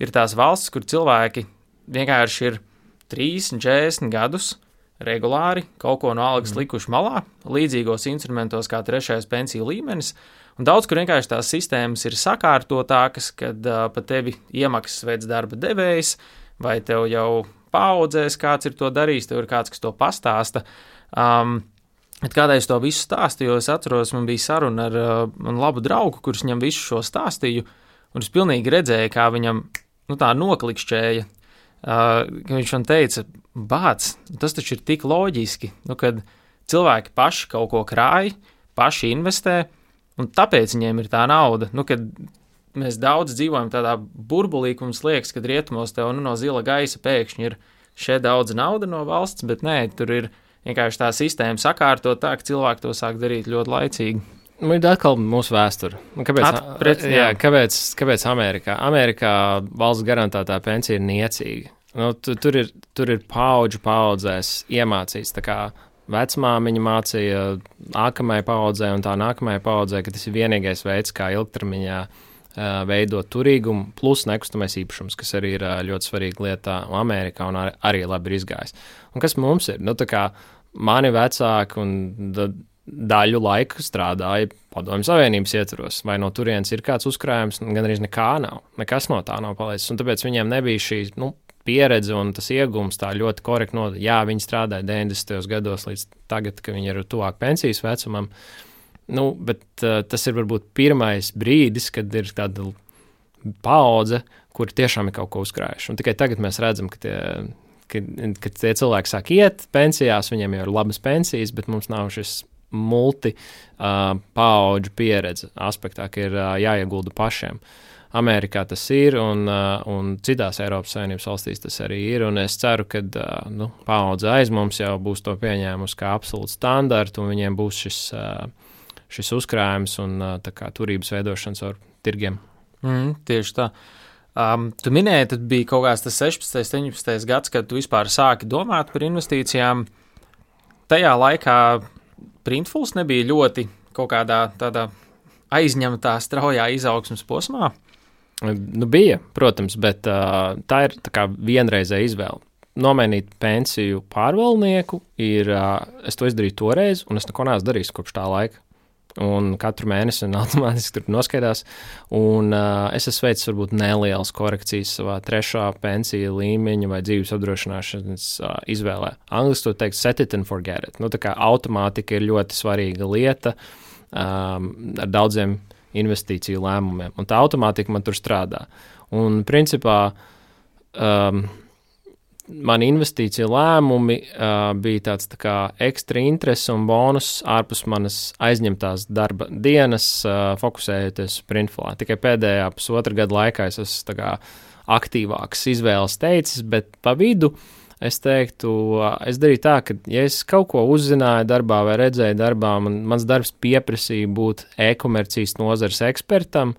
ir tās valstis, kur cilvēki vienkārši ir 30, 40 gadus regulāri kaut ko no algas likuši malā, līdzīgos instrumentos kā 3. pensiju līmenis, un daudz, kur vienkārši tās sistēmas ir sakārtotākas, kad pa tevi iemaksas veids darba devējs, vai tev jau paaudzēs, kāds ir to darījis, tev ir kāds, kas to pastāsta. Kādēļ es to visu stāstīju, jo es atceros, man bija saruna ar manu labu draugu, kurš viņam visu šo stāstīju, un es pilnīgi redzēju, kā viņam tā noklikšķēja, ka viņš man teica, bāc, tas taču ir tik loģiski, kad cilvēki paši kaut ko krāj, paši investē, un tāpēc viņiem ir tā nauda, kad mēs daudz dzīvojam tādā burbulī, ka mums liekas, kad rietumos tev no zila gaisa pēkšņi ir šeit daudz nauda no valsts, bet nē, tur ir vienkārši tā sistēma sakārtot tā, ka cilvēki to sāk darīt ļoti laicīgi. Ir atkal mūsu vēsture. Kāpēc Amerikā? Amerikā valsts garantētā pensija ir niecīga. Tur ir paudzēs iemācīts. Tā kā vecmāmiņa mācīja nākamajai paudzē un tā nākamajai paudzē, ka tas ir vienīgais veids, kā ilgtermiņā veidot turīgumu, plus nekustamais īpašums, kas arī ir ļoti svarīga lieta Amerikā un arī labi ir izgājis. Un kas mums ir? Nu, tā kā mani vecāki un daļu laika strādāja Padomju Savienības ietvaros, vai no turienes ir kāds uzkrājums, gan arī nekā nav, nekas no tā nav palicis, un tāpēc viņiem nebija šī, pieredze un tas iegūms tā ļoti korekti jā, viņi strādāja 90. gados līdz tagad, ka viņi ir tuvāk pensijas vecumam, bet tas ir varbūt pirmais brīdis, kad ir tāda paudze, kur tiešām ir kaut ko uzkrājuši. Un tikai tagad mēs redzam, ka tie cilvēki sāk iet pensijās, viņiem jau ir labas pensijas, bet mums nav šis paudžu pieredze aspektā, ka ir jāiegulda pašiem. Amerikā tas ir, un citās Eiropas Savienības valstīs tas arī ir, un es ceru, ka paudze aiz mums jau būs to pieņēmusi kā absolūtu standartu, un viņiem būs šis uzkrājums un tā kā turības veidošanas ar tirgiem. Tieši tā. Tu minēji, tad bija kaut kāds tas 16. 17. gads, kad tu vispār sāki domāt par investīcijām. Tajā laikā Printfuls nebija ļoti kaut kādā tādā aizņemtā straujā izaugsmas posmā? Bija, protams, bet tā ir tā kā vienreizēja izvēle. Nomainīt pensiju pārvaldnieku es to izdarīju toreiz, un es neko neesmu darījis kopš tā laika. Un katru mēnesi automātiski tur noskaidās, un es esmu veicis varbūt nelielas korekcijas savā trešā pensiju līmeņa vai dzīves apdrošināšanas izvēlē. Angliski to teikt set it and forget it. Tā kā automātika ir ļoti svarīga lieta ar daudziem investīciju lēmumiem, un tā automātika man tur strādā. Un principā mani investīciju lēmumi bija tāds tā kā ekstra interese un bonus ārpus manas aizņemtās darba dienas, fokusējoties Printfulā. Tikai pēdējā pusotra gada laikā es esmu tā kā aktīvāks izvēles teicis, bet pa vidu es teiktu, es darīju tā, ka ja es kaut ko uzzināju darbā vai redzēju darbā, mans darbs pieprasīja būt e-komercijas nozares ekspertam,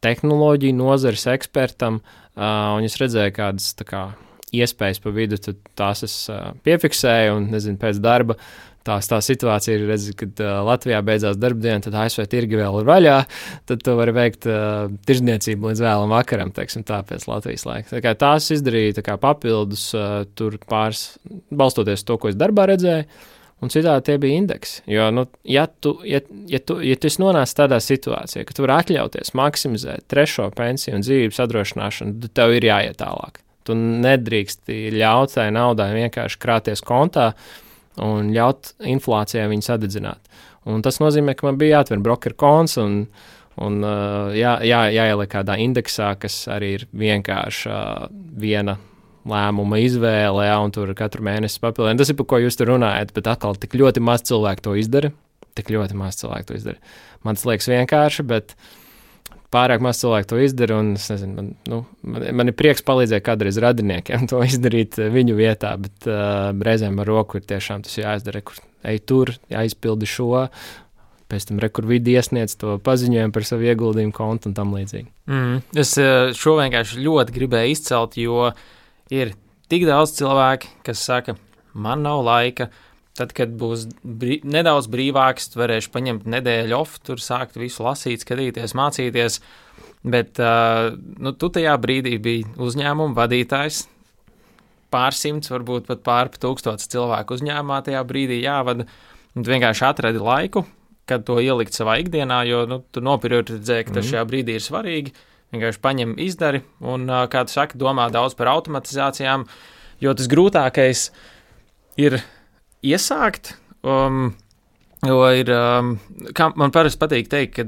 tehnoloģiju nozares ekspertam, un es redzēju kādas tā kā iespējas pa vidu, tad tās es piefiksēju, un, nezinu, pēc darba tā situācija ir, kad Latvijā beidzās darbdiena, tad ASV tirgi vēl ir vaļā, tad tu vari veikt tirzniecību līdz vēlam vakaram, teiksim tā, pēc Latvijas laika. Tā kā tās izdarīja tā kā papildus tur pāris, balstoties to, ko es darbā redzēju, un citādi tie bija indeksi. Jo, ja tu esi nonācis tādā situācijā, ka tu vari atļauties maksimizēt trešo pensiju un dzīvības apdrošināšanu, tad tev ir jāiet tālāk. Tu nedrīksti ļaut tai naudai vienkārši krāties kontā un ļaut inflācijai viņu sadedzināt. Un tas nozīmē, ka man bija jāatver broker konts un jāieliek kādā indeksā, kas arī ir vienkārši viena lēmuma izvēle, un tur katru mēnesi papildina. Tas ir, par ko jūs tur runājat, bet atkal tik ļoti maz cilvēku to izdara. Man tas liekas vienkārši, bet pārāk maz cilvēku to izdara, un es nezinu, man ir prieks palīdzēt kādreiz radiniekiem to izdarīt viņu vietā, bet reizēm ar roku ir tiešām tas jāizdara, kur ej tur, jāizpildi šo, pēc tam kur vidi iesniedz to paziņojumu par savu ieguldījumu kontu un tam līdzīgi. Es šo vienkārši ļoti gribēju izcelt, jo ir tik daudz cilvēki, kas saka, man nav laika. Tad, kad būs nedaudz brīvāks, varēšu paņemt nedēļu off, tur sākt visu lasīt, skatīties, mācīties, bet tu tajā brīdī biji uzņēmuma vadītājs, pārsimts, varbūt pat pārpa 1000 cilvēku uzņēmumā tajā brīdī jāvada, un tu vienkārši atradi laiku, kad to ielikt savā ikdienā, jo tu noprioritizēji, ka tas šajā brīdī ir svarīgi, vienkārši paņem izdari, un, kā tu saki, domā daudz par automatizācijām, jo tas grūtākais ir iesākt, jo ir, kā man parasti patīk teikt, ka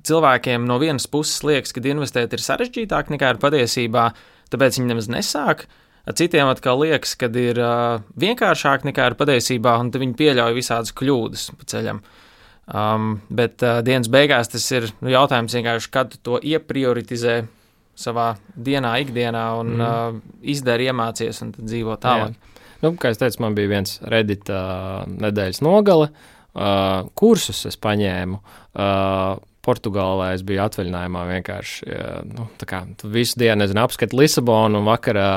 cilvēkiem no vienas puses liekas, ka investēt ir sarežģītāk nekā ir patiesībā, tāpēc viņi nemaz nesāk, citiem atkal liekas, ka ir vienkāršāk nekā ir patiesībā, un viņi pieļauj visādas kļūdas pa ceļam. Bet dienas beigās tas ir jautājums vienkārši, kad tu to ieprioritizē savā dienā, ikdienā un izdari, iemācies un tad dzīvo tālāk. Jā. Kā es teicu, man bija viens Reddit nedēļas nogale, kursus es paņēmu, Portugālē es biju atvaļinājumā vienkārši, tā kā tu visu dienu, apskati Lisabonu un vakarā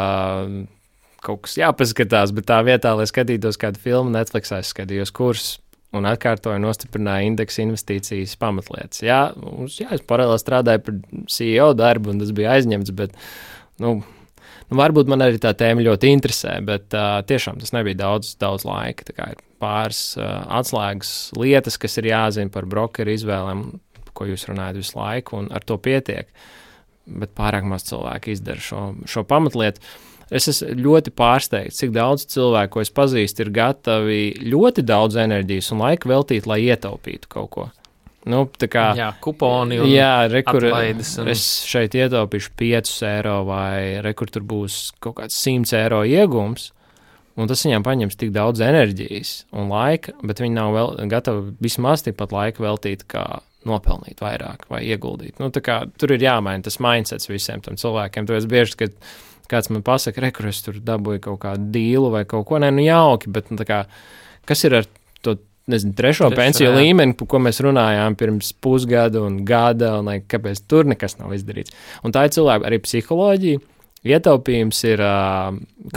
kaut kas jāpaskatās, bet tā vietā, lai skatītos kādu filmu, Netflixā es skatījos kursus un atkārtoju nostiprināju indeksa investīcijas pamatlietas. Jā, es paralēli strādāju par CEO darbu, un tas bija aizņemts, bet, varbūt man arī tā tēma ļoti interesē, bet tiešām tas nebija daudz laika. Tā kā ir pāris atslēgas lietas, kas ir jāzina par brokeru izvēlēm, ko jūs runājat visu laiku, un ar to pietiek. Bet pārāk maz cilvēku izdara šo pamatlietu. Es esmu ļoti pārsteigts, cik daudz cilvēku, ko es pazīstu, ir gatavi ļoti daudz enerģijas un laika veltīt, lai ietaupītu kaut ko. Jā, kuponi un atlaides. Es šeit ietaupīšu 5 eiro vai rekur tur būs kaut kāds 100 eiro iegums, un tas viņām paņems tik daudz enerģijas un laika, bet viņi nav gatavi vismaz tikpat laika veltīt, kā nopelnīt vairāk vai ieguldīt. Tur ir jāmaina tas mindsets visiem tam cilvēkiem. Tāpēc bieži, kad kāds man pasaka, rekur, es tur dabūju kaut kādu dīlu vai kaut ko, jauki, bet kas ir ar to, trešo pensiju līmeni, par ko mēs runājām pirms pusgada un gada, un kāpēc tur nekas nav izdarīts. Un tā ir cilvēka arī psiholoģija. Ietaupījums ir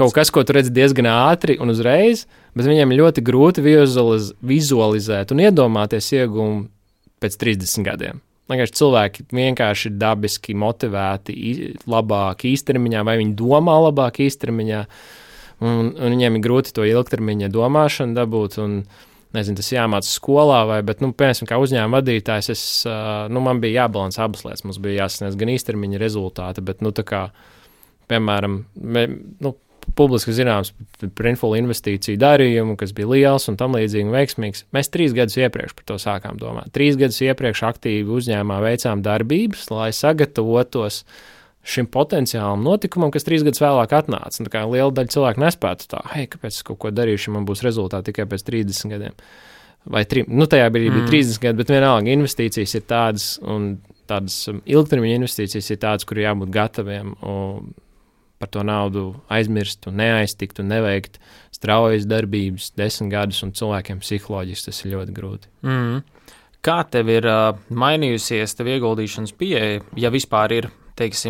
kaut kas, ko tu redzi diezgan ātri un uzreiz, bet viņiem ir ļoti grūti vizualizēt un iedomāties ieguvumu pēc 30 gadiem. Cilvēki vienkārši ir dabiski motivēti labāk īstermiņā, vai viņi domā labāk īstermiņā, un viņiem ir grūti to ilgtermiņa domāšanu dabūt, un, tas jāmāca skolā, bet, piemēram, kā uzņēmuma vadītājs, man bija jābalansē abas lietas, mums bija jāsasniedz gan īstermiņa rezultāti, bet, piemēram, publiski zināms Printful investīciju darījumu, kas bija liels un tam līdzīgi un veiksmīgs. Mēs 3 gadus iepriekš par to sākām domāt. 3 gadus iepriekš aktīvi uzņēmumā veicām darbības, lai sagatavotos šim potenciālam notikumam, kas 3 gadus vēlāk atnāca. Liela daļa cilvēku nespētu kāpēc es kaut ko darīšu, man būs rezultāti tikai pēc 30 gadiem. Vai tajā brīdī bija 30 gadi, bet vienalga investīcijas ir tādas, un tādas ilgtermiņa investīcijas ir tādas, kur jābūt gataviem par to naudu aizmirst un neaiztikt un neveikt straujas darbības 10 gadus, un cilvēkiem psiholoģiski tas ir ļoti grūti. Kā tev ir mainījusies tev ieguldīšanas pieeja, ja vispār ir,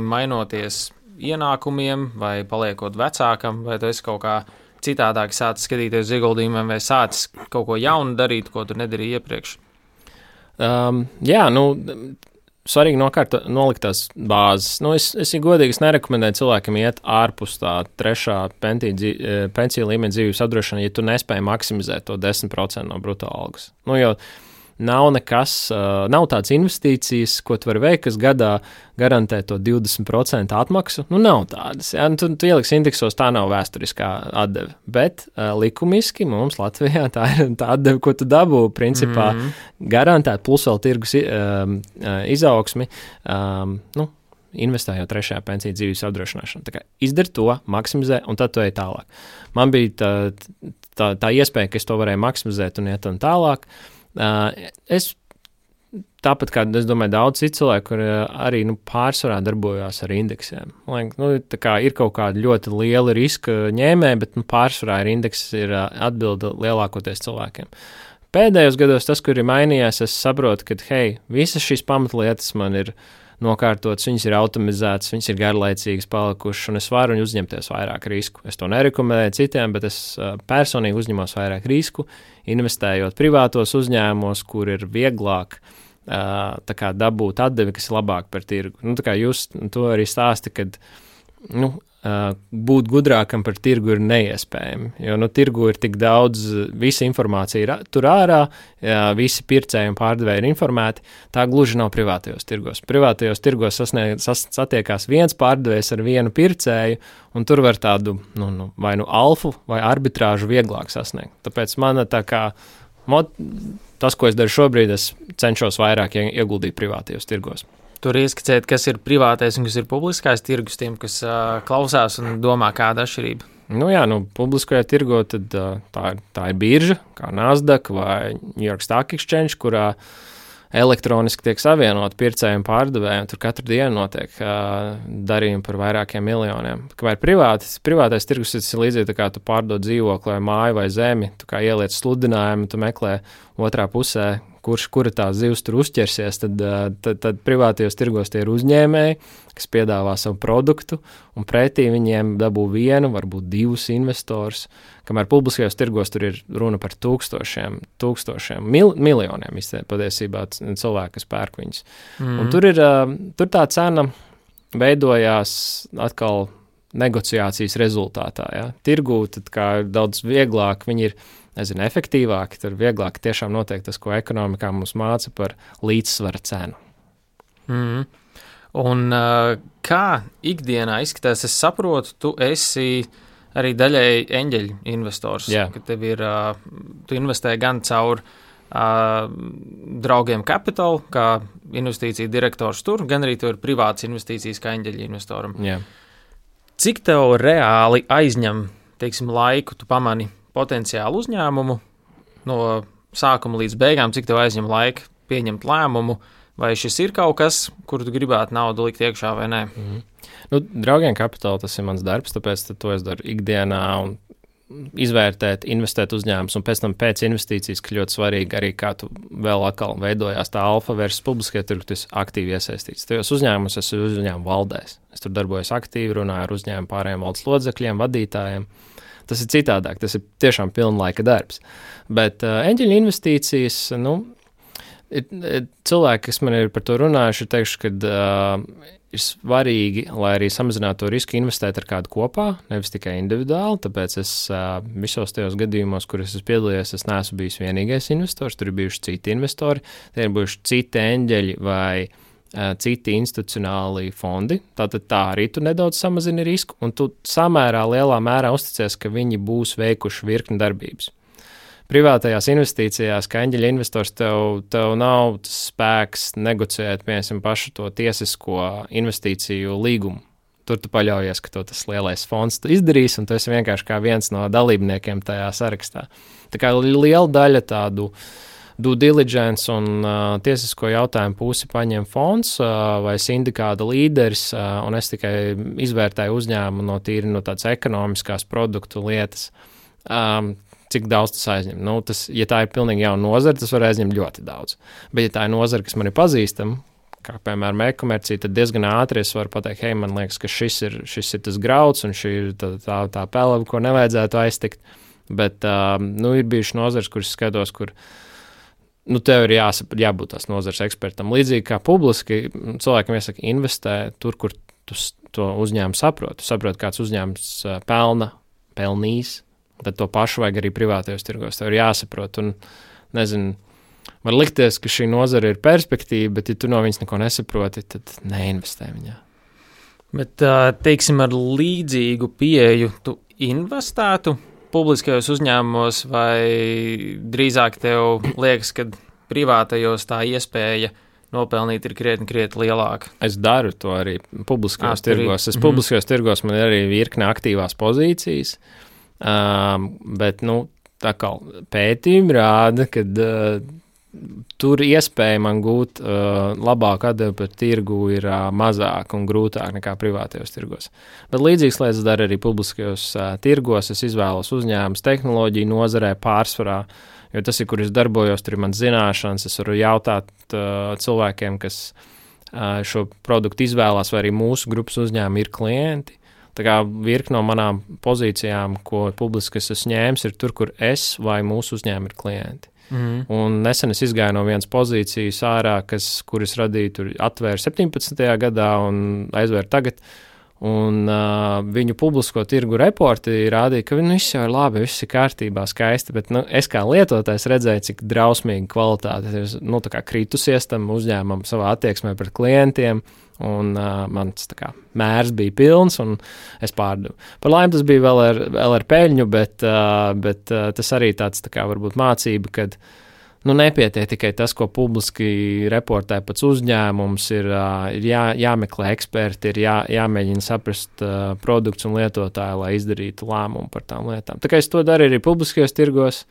mainoties ienākumiem vai paliekot vecākam, vai tu esi kaut kā citādāk sācis skatīties uz ieguldījumiem vai sācis kaut ko jaunu darīt, ko tu nedarīji iepriekš? Svarīgi nolikt tās bāzes. Es godīgi nerekomendēju cilvēkam iet ārpus tā 3. pensiju līmeņa dzīves apdrošināšana, ja tu nespēji maksimizēt to 10% no bruto algas. Jo nav tādas investīcijas, ko tu vari veikt, kas gadā garantē to 20% atmaksu. Nav tādas. Ja? Tu ieliksi indeksos, tā nav vēsturiskā atdeve. Bet likumiski mums Latvijā tā ir tā atdeve, ko tu dabū, principā garantēt, plus vēl tirgus izaugsmi, investējot 3. pensiju dzīves apdrošināšanu. Tā kā izdari to, maksimizē, un tad tu ej tālāk. Man bija tā iespēja, ka es to varēju maksimizēt un iet un tālāk. Es tāpat kā, es domāju, daudz citu cilvēku, kur arī pārsvarā darbojās ar indeksiem. Ir kaut kāda ļoti liela riska ņēmēja, bet pārsvarā ir indeks, ir atbilde lielākoties cilvēkiem. Pēdējos gados tas, kur ir mainījies, es saprotu, ka, visas šīs pamatlietas man ir nokārtotas, viņas ir automatizētas, viņas ir garlaicīgas palikušas, un es varu uzņemties vairāk risku. Es to nerekomendēju citiem, bet es personīgi uzņemos vairāk risku, investējot privātos uzņēmumos, kur ir vieglāk dabūt atdevi, kas ir labāk par tirgu. Jūs to arī stāsti, kad būt gudrākam par tirgu ir neiespējami, jo tirgu ir tik daudz, visa informācija ir tur ārā, visi pircēji un pārdevēji ir informēti, tā gluži nav privātajos tirgos. Privātajos tirgos satiekās viens pārdevējs ar vienu pircēju, un tur var tādu, vai alfu vai arbitrāžu vieglāk sasniegt. Tāpēc man tas, ko es daru šobrīd, es cenšos vairāk ieguldīt privātajos tirgos. Tur ieskicēt, kas ir privātais un kas ir publiskais tirgus tiem, kas klausās un domā, kāda atšķirība. Publiskajā tirgo tad tā ir birža, kā Nasdaq vai New York Stock Exchange, kurā elektroniski tiek savienot pircēji un pārdevēji, un tur katru dienu notiek darījumi par vairākiem miljoniem. Kamēr privātais tirgus ir līdzīgi, tā kā tu pārdod dzīvokli vai māju vai zemi, tu kā ieliec sludinājumu, tu meklē otrā pusē, kura tā zivs tur uzķersies, tad privātajos tirgos tie ir uzņēmēji, kas piedāvā savu produktu, un pretī viņiem dabū vienu, varbūt divus investors, kamēr publiskajos tirgos tur ir runa par tūkstošiem, miljoniem patiesībā cilvēku, kas pērk viņus. Un tur tā cena veidojās atkal negociācijas rezultātā. Ja? Tirgū tad kā ir daudz vieglāk, viņi ir efektīvāki, tad vieglāk tiešām notiek tas, ko ekonomikā mums māca par līdzsvara cenu. Un kā ikdienā izskatās, es saprotu, tu esi arī daļēji eņģeļu investors, ka tev ir, tu investē gan caur draugiem Capital, kā investīcija direktors tur, gan arī tu ir privāts investīcijas kā eņģeļu investoram. Jā. Cik tev reāli aizņem, teiksim, laiku, tu pamani potenciālu uzņēmumu no sākuma līdz beigām, cik tev aizņem laika pieņemt lēmumu, vai šis ir kaut kas, kur tu gribētu naudu likt iekšā vai nē? Draugiem Capital tas ir mans darbs, tāpēc to es daru ikdienā un izvērtēt, investēt uzņēmumus, un pēc tam pēc investīcijas, ka ļoti svarīgi arī, kā tu vēl atkal veidojās tā alfa versus publiskajā tirgu, tu esi aktīvi iesaistīts. Tajos uzņēmumus es esmu uzņēmumu valdēs. Es tur darbojos aktīvi, runāju ar uzņēmumu pārējiem valdes lodzekļiem, vadītājiem. Tas ir citādāk, tas ir tiešām pilnlaika darbs. Bet eņģeļu investīcijas, cilvēki, kas man ir par to runājuši, ir teikuši, ka ir svarīgi, lai arī samazinātu to risku, investēt ar kādu kopā, nevis tikai individuāli. Tāpēc es visos tajos gadījumos, kur es esmu piedalījies, es neesmu bijis vienīgais investors, tur ir bijuši citi investori, tie ir bijuši citi eņģeļi vai citi institucionāli fondi, tātad tā arī tu nedaudz samazini risku, un tu samērā lielā mērā uzticies, ka viņi būs veikuši virkni darbības. Privātajās investīcijās, kā eņģeļa investors, tev nav spēks negociēt, piemēram, pašu to tiesisko investīciju līgumu. Tur tu paļaujies, ka to tas lielais fonds izdarīs, un tu esi vienkārši kā viens no dalībniekiem tajā sarakstā. Tā kā liela daļa tādu due diligence un tiesisko jautājumu pusi paņem fonds vai sindikāta līderis, un es tikai izvērtēju uzņēmumu no tādas ekonomiskās produktu lietas, cik daudz tas aizņem. Ja tā ir pilnīgi jauna nozara, tas var aizņemt ļoti daudz. Bet ja tā ir nozara, kas man ir pazīstama, kā piemēram e-komercija, tad diezgan ātri es varu pateikt, hei, man liekas, ka šis ir tas grauds un šī ir tā pelava, ko nevajadzētu aiztikt. Bet ir bijuši nozars, kuras skatos, kur tev ir jābūt tās nozares ekspertam. Līdzīgi kā publiski, cilvēkam iesaka investē tur, kur tu to uzņēmumu saproti. Tu saproti, kāds uzņēmums pelnīs, tad to pašu vajag arī privātajos tirgos. Tev ir jāsaprot, un nezinu, var likties, ka šī nozara ir perspektīva, bet ja tu no viņas neko nesaproti, tad neinvestē viņā. Bet, teiksim, ar līdzīgu pieeju tu investētu publiskajos uzņēmumos, vai drīzāk tev liekas, ka privātajos tā iespēja nopelnīt ir krietni lielāka? Es daru to arī publiskajos tirgos. Publiskajos tirgos man ir arī virkne aktīvās pozīcijas, bet, tā kā pētījumi rāda, ka tur iespēja man gūt labāku atdevi par tirgu ir mazāk un grūtāk nekā privātajos tirgos. Bet līdzīgas lietas dara arī publiskajos tirgos. Es izvēlos uzņēmumus tehnoloģiju nozarē pārsvarā, jo tas ir, kur es darbojos, tur ir man zināšanas. Es varu jautāt cilvēkiem, kas šo produktu izvēlās, vai arī mūsu grupas uzņēmumi ir klienti. Tā kā virkni no manām pozīcijām, ko publiski es esmu ņēmis, ir tur, kur es vai mūsu uzņēmumi ir klienti. Un nesen es izgāju no vienas pozīcijas ārā, kuras radīju, tur atvēru 17. gadā un aizvēru tagad. Un viņu publisko tirgu reporti rādīja, ka viss jau ir labi, viss ir kārtībā, skaisti, bet es kā lietotājs redzēju, cik drausmīgi kvalitāte ir tā kā kritusies tam uzņēmumam savā attieksmē pret klientiem. Un mans mērs bija pilns, un es pārdevu. Par laimi tas bija vēl ar peļņu, bet tas arī tāds varbūt mācība, kad nepietiek tikai tas, ko publiski reportē pats uzņēmums, ir jāmeklē eksperti, ir jāmēģina saprast produkts un lietotāju, lai izdarītu lēmumu par tām lietām. Tā kā es to daru arī publiskajos tirgos,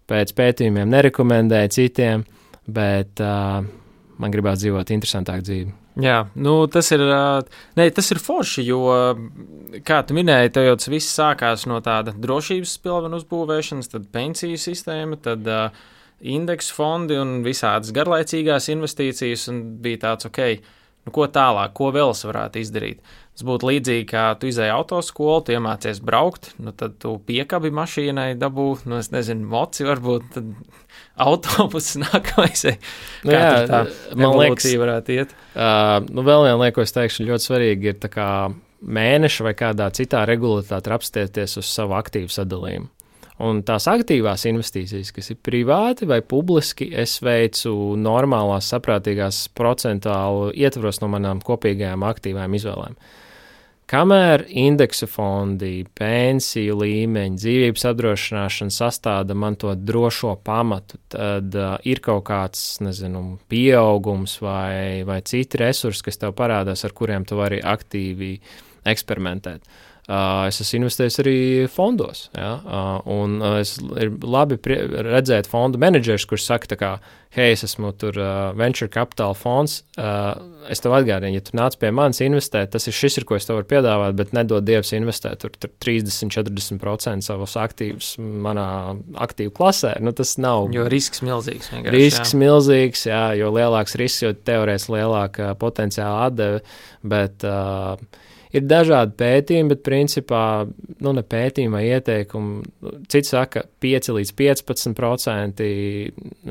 pēc pētījumiem nerekomendēju citiem, bet man gribētu dzīvot interesantāku dzīvi. Jā, tas ir forši, jo, kā tu minēji, tev jau tas viss sākās no tāda drošības pilvena uzbūvēšanas, tad pensiju sistēma, tad indeksu fondi un visādas garlaicīgās investīcijas, un bija tāds, ko tālāk, ko vēl es varētu izdarīt. Tas būtu līdzīgi, kā tu izēji autoskolu, tu iemācies braukt, tad tu piekabi mašīnai, dabū, es nezinu, moci varbūt, tad autobus nākamais. Kā tā evolūcija varētu iet? Vēl viena lieta, ko es teikšu, ļoti svarīgi ir tā kā mēneša vai kādā citā regulātāte apstieties uz savu aktīvu sadalījumu. Un tās aktīvās investīcijas, kas ir privāti vai publiski, es veicu normālās, saprātīgās procentālu ietvaros no manām kopīgajām aktīvām izvēlēm. Kamēr indeksu fondi, pensiju līmeņi, dzīvības apdrošināšana sastāda man to drošo pamatu, tad ir kaut kāds, pieaugums vai citi resursi, kas tev parādās, ar kuriem tu vari aktīvi eksperimentēt. Es esmu investējis arī fondos, un ir labi redzēt fondu menedžerus, kurš saka, hei, es esmu tur venture capital fonds, es tev atgādinu, ja tu nāc pie manis investēt, tas ir šis, ko es tev varu piedāvāt, bet nedod Dievs investēt tur 30-40% savus aktīvus manā aktīvu klasē, tas nav. Jo risks milzīgs. Risks milzīgs, jo lielāks risks, jo teorētiski lielāka potenciāla atdeve, bet ir dažādi pētījumi, bet principā, ne pētījumi vai ieteikumi, cits saka 5-15%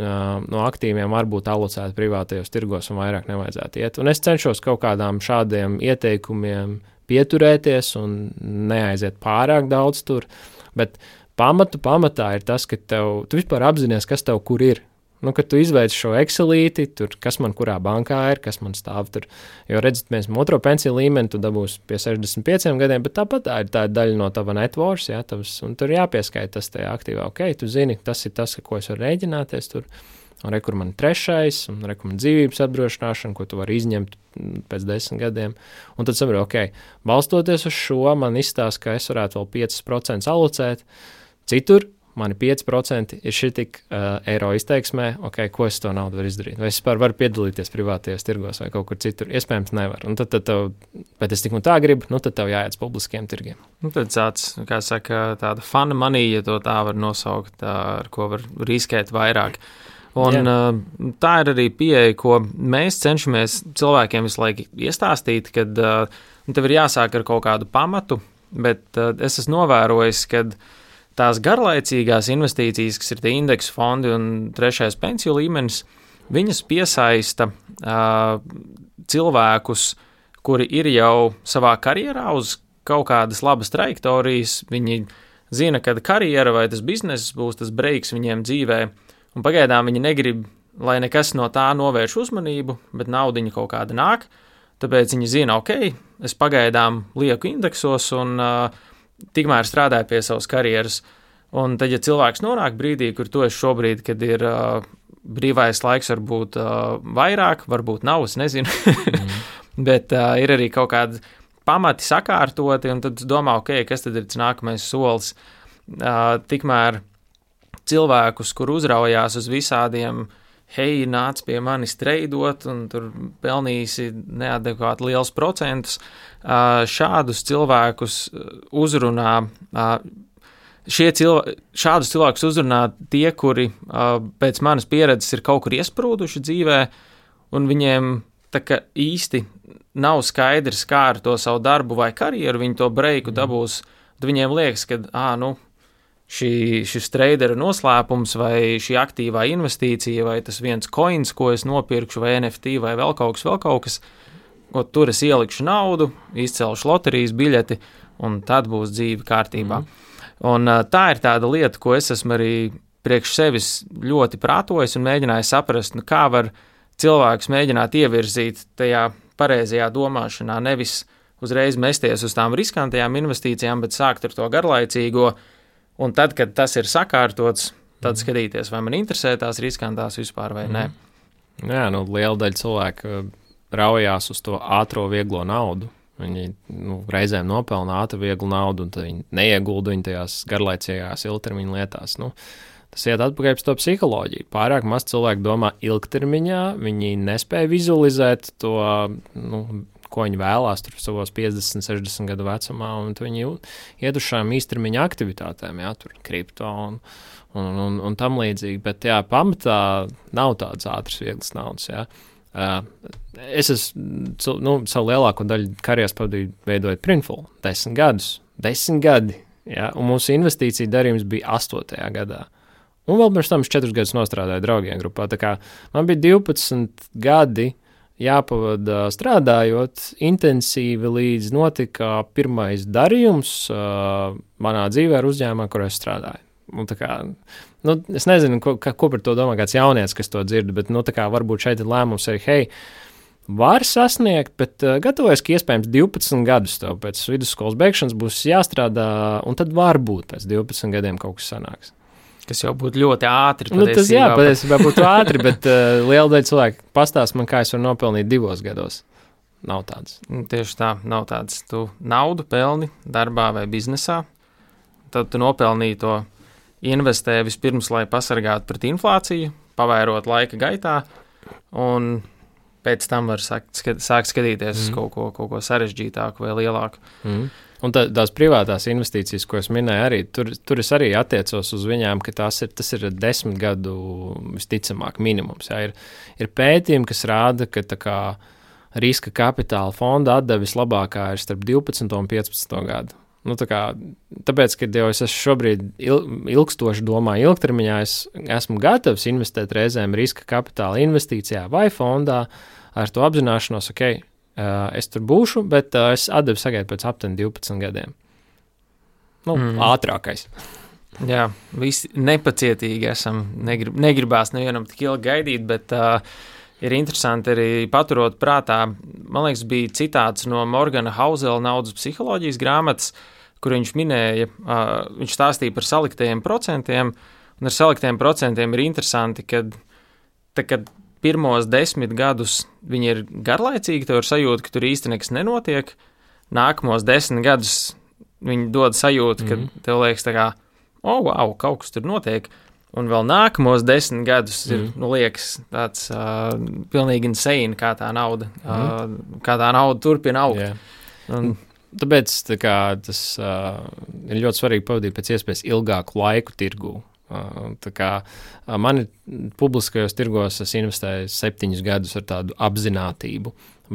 no aktīviem var būt alocēti privātajos tirgos un vairāk nevajadzētu iet. Un es cenšos kaut kādām šādiem ieteikumiem pieturēties un neaiziet pārāk daudz tur, bet pamatā ir tas, ka tu vispār apzinies, kas tev kur ir. Kad tu izveic šo Excelīti, tur, kas man kurā bankā ir, kas man stāv tur, jo redzat, mēs otro pensiju līmeni tu dabūsi pie 65 gadiem, bet tāpat tā ir daļa no tava networks, un tur jāpieskaita tas tajā aktīvā. Tu zini, tas ir tas, ko es varu rēģināties tur, un kur man trešais, un man dzīvības apdrošināšana, ko tu vari izņemt pēc 10 gadiem, un tad saprotu, balstoties uz šo, man izstāsta, ka es varētu vēl 5% alocēt, citur, mani 5% ir šitik eiro izteiksmē, ko es to naudu varu izdarīt. Vai es vispār varu piedalīties privātajos tirgos vai kaut kur citur? Iespējams, nevar. Un tad tev, bet es tik un tā gribu, tad tev jāiet uz publiskiem tirgiem. Tad tāds, kā saka, tāda fana money, ja to tā var nosaukt, ar ko var riskēt vairāk. Un tā ir arī pieeja, ko mēs cenšamies cilvēkiem visu laiku iestāstīt, kad tev ir jāsāk ar kaut kādu pamatu, bet es esmu novērojis, kad tās garlaicīgās investīcijas, kas ir tie indeksu fondi un trešais pensiju līmenis, viņas piesaista cilvēkus, kuri ir jau savā karjerā uz kaut kādas labas trajektorijas. Viņi zina, ka karjera vai tas bizness būs tas breiks viņiem dzīvē, un pagaidām viņi negrib, lai nekas no tā novērš uzmanību, bet naudiņa kaut kāda nāk, tāpēc viņi zina, es pagaidām lieku indeksos un tikmēr strādāju pie savas karjeras. Un tad, ja cilvēks nonāk brīdī, kur tu esi šobrīd, kad ir brīvais laiks, varbūt vairāk, varbūt nav, es nezinu, bet ir arī kaut kādi pamati sakārtoti, un tad domā, kas tad ir tas nākamais solis. Tikmēr cilvēkus, kur uzraujās uz visādiem, hei, nāc pie manis treidot, un tur pelnīsi neadekvāti liels procentus, šādus cilvēkus uzrunā, šādus cilvēkus uzrunā tie, kuri pēc manas pieredzes ir kaut kur iesprūduši dzīvē, un viņiem tā kā īsti nav skaidrs, kā ar to savu darbu vai karjeru viņi to breiku dabūs, tad viņiem liekas, ka, šis tradera noslēpums vai šī aktīvā investīcija vai tas viens coins, ko es nopirkšu, vai NFT vai vēl kaut kas, tur es ielikšu naudu, izcelšu loterijas biļeti, un tad būs dzīve kārtībā. Un tā ir tāda lieta, ko es esmu arī priekš sevis ļoti prātojis un mēģinājis saprast, kā var cilvēkus mēģināt ievirzīt tajā pareizajā domāšanā, nevis uzreiz mesties uz tām riskantajām investīcijām, bet sākt ar to garlaicīgo, un tad, kad tas ir sakārtots, tad skatīties, vai man interesē tās riskantās vispār vai nē. Jā, liela daļa cilvēku raujās uz to ātro, vieglo naudu. Viņi reizēm nopelna ātru, vieglu naudu, un tad viņi neiegulda viņu tajās garlaicīgās ilgtermiņa lietās. Tas iet atpakaļ pēc to psiholoģiju. Pārāk maz cilvēku domā ilgtermiņā, viņi nespēja vizualizēt to, ko viņi vēlās tur savos 50, 60 gadu vecumā, un viņi iet uz šām īstermiņa aktivitātēm, jā, tur kripto un tam līdzīgi, bet jā, pamatā nav tādas ātras, vieglas naudas, jā. Es savu lielāko daļu karjeras pavadīju veidojot Printful, 10 gadi, jā, un mūsu investīcija darījums bija 8. gadā. Un vēl pirms tam es 4 gadus nostrādāju draugiem grupā, tā kā man bija 12 gadi jāpavada strādājot intensīvi, līdz notika pirmais darījums manā dzīvē ar uzņēmumā, kur es strādāju. Un tā kā, es nezinu, ko par to domā kāds jaunietis, kas to dzird, bet tā kā varbūt šeit ir lēmums arī, hei, var sasniegt, bet gatavojas, ka iespējams 12 gadus tev pēc vidusskolas beigšanas būs jāstrādā, un tad varbūt pēc 12 gadiem kaut kas sanāks. Kas jau būtu ļoti ātri. Patiesībā būtu ātri, bet liela daļa cilvēku pastāsta man, kā es varu nopelnīt 2 gados. Nav tāds. Tieši tā, nav tāds. Tu naudu pelni darbā vai biznesā, tad tu nopelnīji to investē vispirms, lai pasargātu pret inflāciju, pavairot laika gaitā, un pēc tam var sākt skatīties uz kaut ko sarežģītāku vai lielāku. Un tās privātās investīcijas, ko es minēju, arī tur es arī attiecos uz viņām, ka tas ir 10 gadu visticamāk minimums. Jā. Ir pētījumi, kas rāda, ka tā kā riska kapitāla fonda atdeve vislabākā ir starp 12 un 15 gadu. Tāpēc, kad jau es šobrīd ilgstoši domāju ilgtermiņā, es esmu gatavs investēt reizēm riska kapitāla investīcijā vai fondā ar to apzināšanos, es tur būšu, bet es atdevi sagaidu pēc aptuveni 12 gadiem. Ātrākais. Jā, visi nepacietīgi esam, negribās nevienam tik ilgi gaidīt, bet ir interesanti arī paturot prātā, man liekas, bija citāts no Morgana Housela naudas psiholoģijas grāmatas, kur viņš minēja, viņš stāstīja par saliktajiem procentiem, un ar saliktajiem procentiem ir interesanti, kad pirmos 10 gadus viņi ir garlaicīgi, tev ir sajūta, ka tur īsti nekas nenotiek, nākamos 10 gadus viņi dod sajūtu, ka tev liekas tā kā, wow, kaut kas tur notiek, un vēl nākamos 10 gadus ir, liekas tāds pilnīgi insane, kā tā nauda turpina augt. Yeah. Tāpēc tas ir ļoti svarīgi pavadīt pēc iespējas ilgāku laiku tirgū. Mani publiskajos tirgos es investēju 7 gadus ar tādu apzinātību,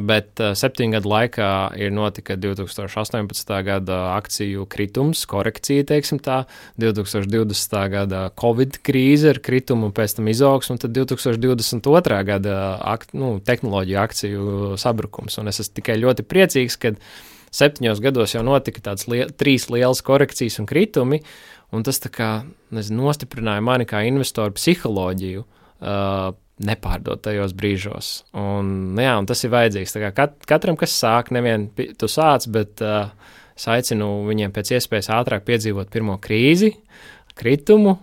bet 7 gadu laikā ir notika 2018. gada akciju kritums, korekcija, teiksim tā, 2020. gada Covid krīze ar kritumu un pēc tam izaugsmu, un tad 2022. gada tehnoloģiju akciju sabrukums. Un es esmu tikai ļoti priecīgs, kad 7 gados jau notika tādas 3 lielas korekcijas un kritumi, un tas tā kā, nostiprināja mani kā investoru psiholoģiju nepārdot tajos brīžos. Un tas ir vajadzīgs. Tā kā katram, kas sāk, nevien tu sāc, bet es aicinu viņiem pēc iespējas ātrāk piedzīvot pirmo krīzi, kritumu,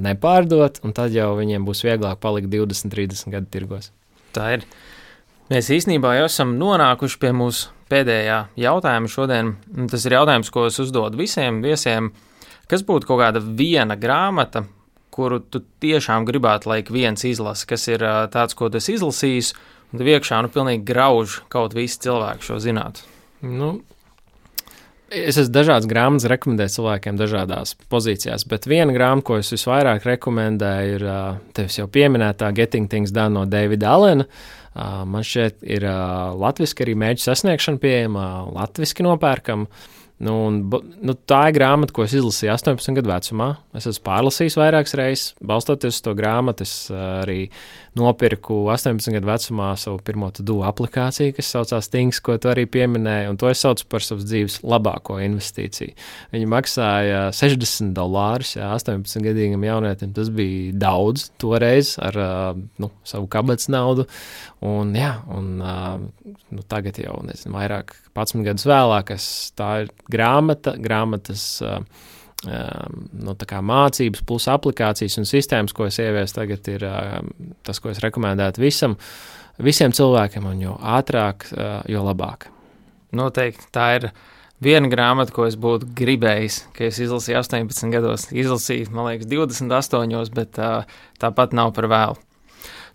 nepārdot, un tad jau viņiem būs vieglāk palikt 20-30 gadu tirgos. Tā ir. Mēs īstenībā jau esam nonākuši pie mūsu pēdējā jautājuma šodien. Tas ir jautājums, ko es uzdodu visiem viesiem. Kas būtu kaut kāda viena grāmata, kuru tu tiešām gribētu, lai viens izlasa, kas ir tāds, ko tu esi izlasījis, un tu iekšā pilnīgi grauž kaut visi cilvēki šo zinātu? Es esmu dažādas grāmatas rekomendēju cilvēkiem dažādās pozīcijās, bet viena grāmata, ko es visvairāk rekomendēju, ir tevis jau pieminētā Getting Things Done no Davida Allena. Man šķiet ir latviski arī mērķu sasniegšana pieejama, latviski nopērkama. Tā ir grāmata, ko es izlasīju 18 gadu vecumā. Es esmu pārlasījis vairākas reizes. Balstoties uz to grāmatu, es arī nopirku 18 gadu vecumā savu pirmo to-do aplikāciju, kas saucās Things, ko tu arī pieminēji, un to es saucu par savas dzīves labāko investīciju. Viņi maksāja $60, 18-gadīgam jaunietim. Tas bija daudz toreiz ar savu kabatas naudu. Tagad jau, vairāk 11 gadus vēlāk, tā ir grāmatas tā kā mācības plus aplikācijas un sistēmas, ko es ieviesu tagad, ir tas, ko es rekomendētu visiem cilvēkiem, un jo ātrāk, jo labāk. Noteikti, tā ir viena grāmata, ko es būtu gribējis, ka es izlasīju 18 gados, izlasīju, man liekas, 28, bet tāpat nav par vēlu.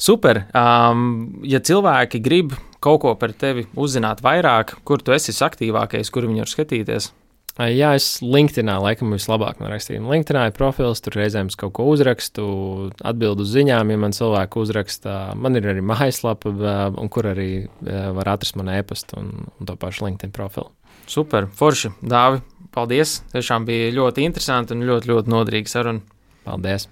Super, ja cilvēki grib kaut ko par tevi uzzināt vairāk, kur tu esi aktīvākais, kur viņi var skatīties? Jā, es LinkedInā laikam vislabāk man rakstīju. LinkedInā ir profils, tur reizēm es kaut ko uzrakstu, atbildu uz ziņām, ja man cilvēku uzraksta. Man ir arī mājaslapa, un kur arī var atrast man e-pastu un to pašu LinkedIn profilu. Super, forši. Dāvi, paldies. Tiešām bija ļoti interesanti un ļoti, ļoti noderīga saruna. Paldies!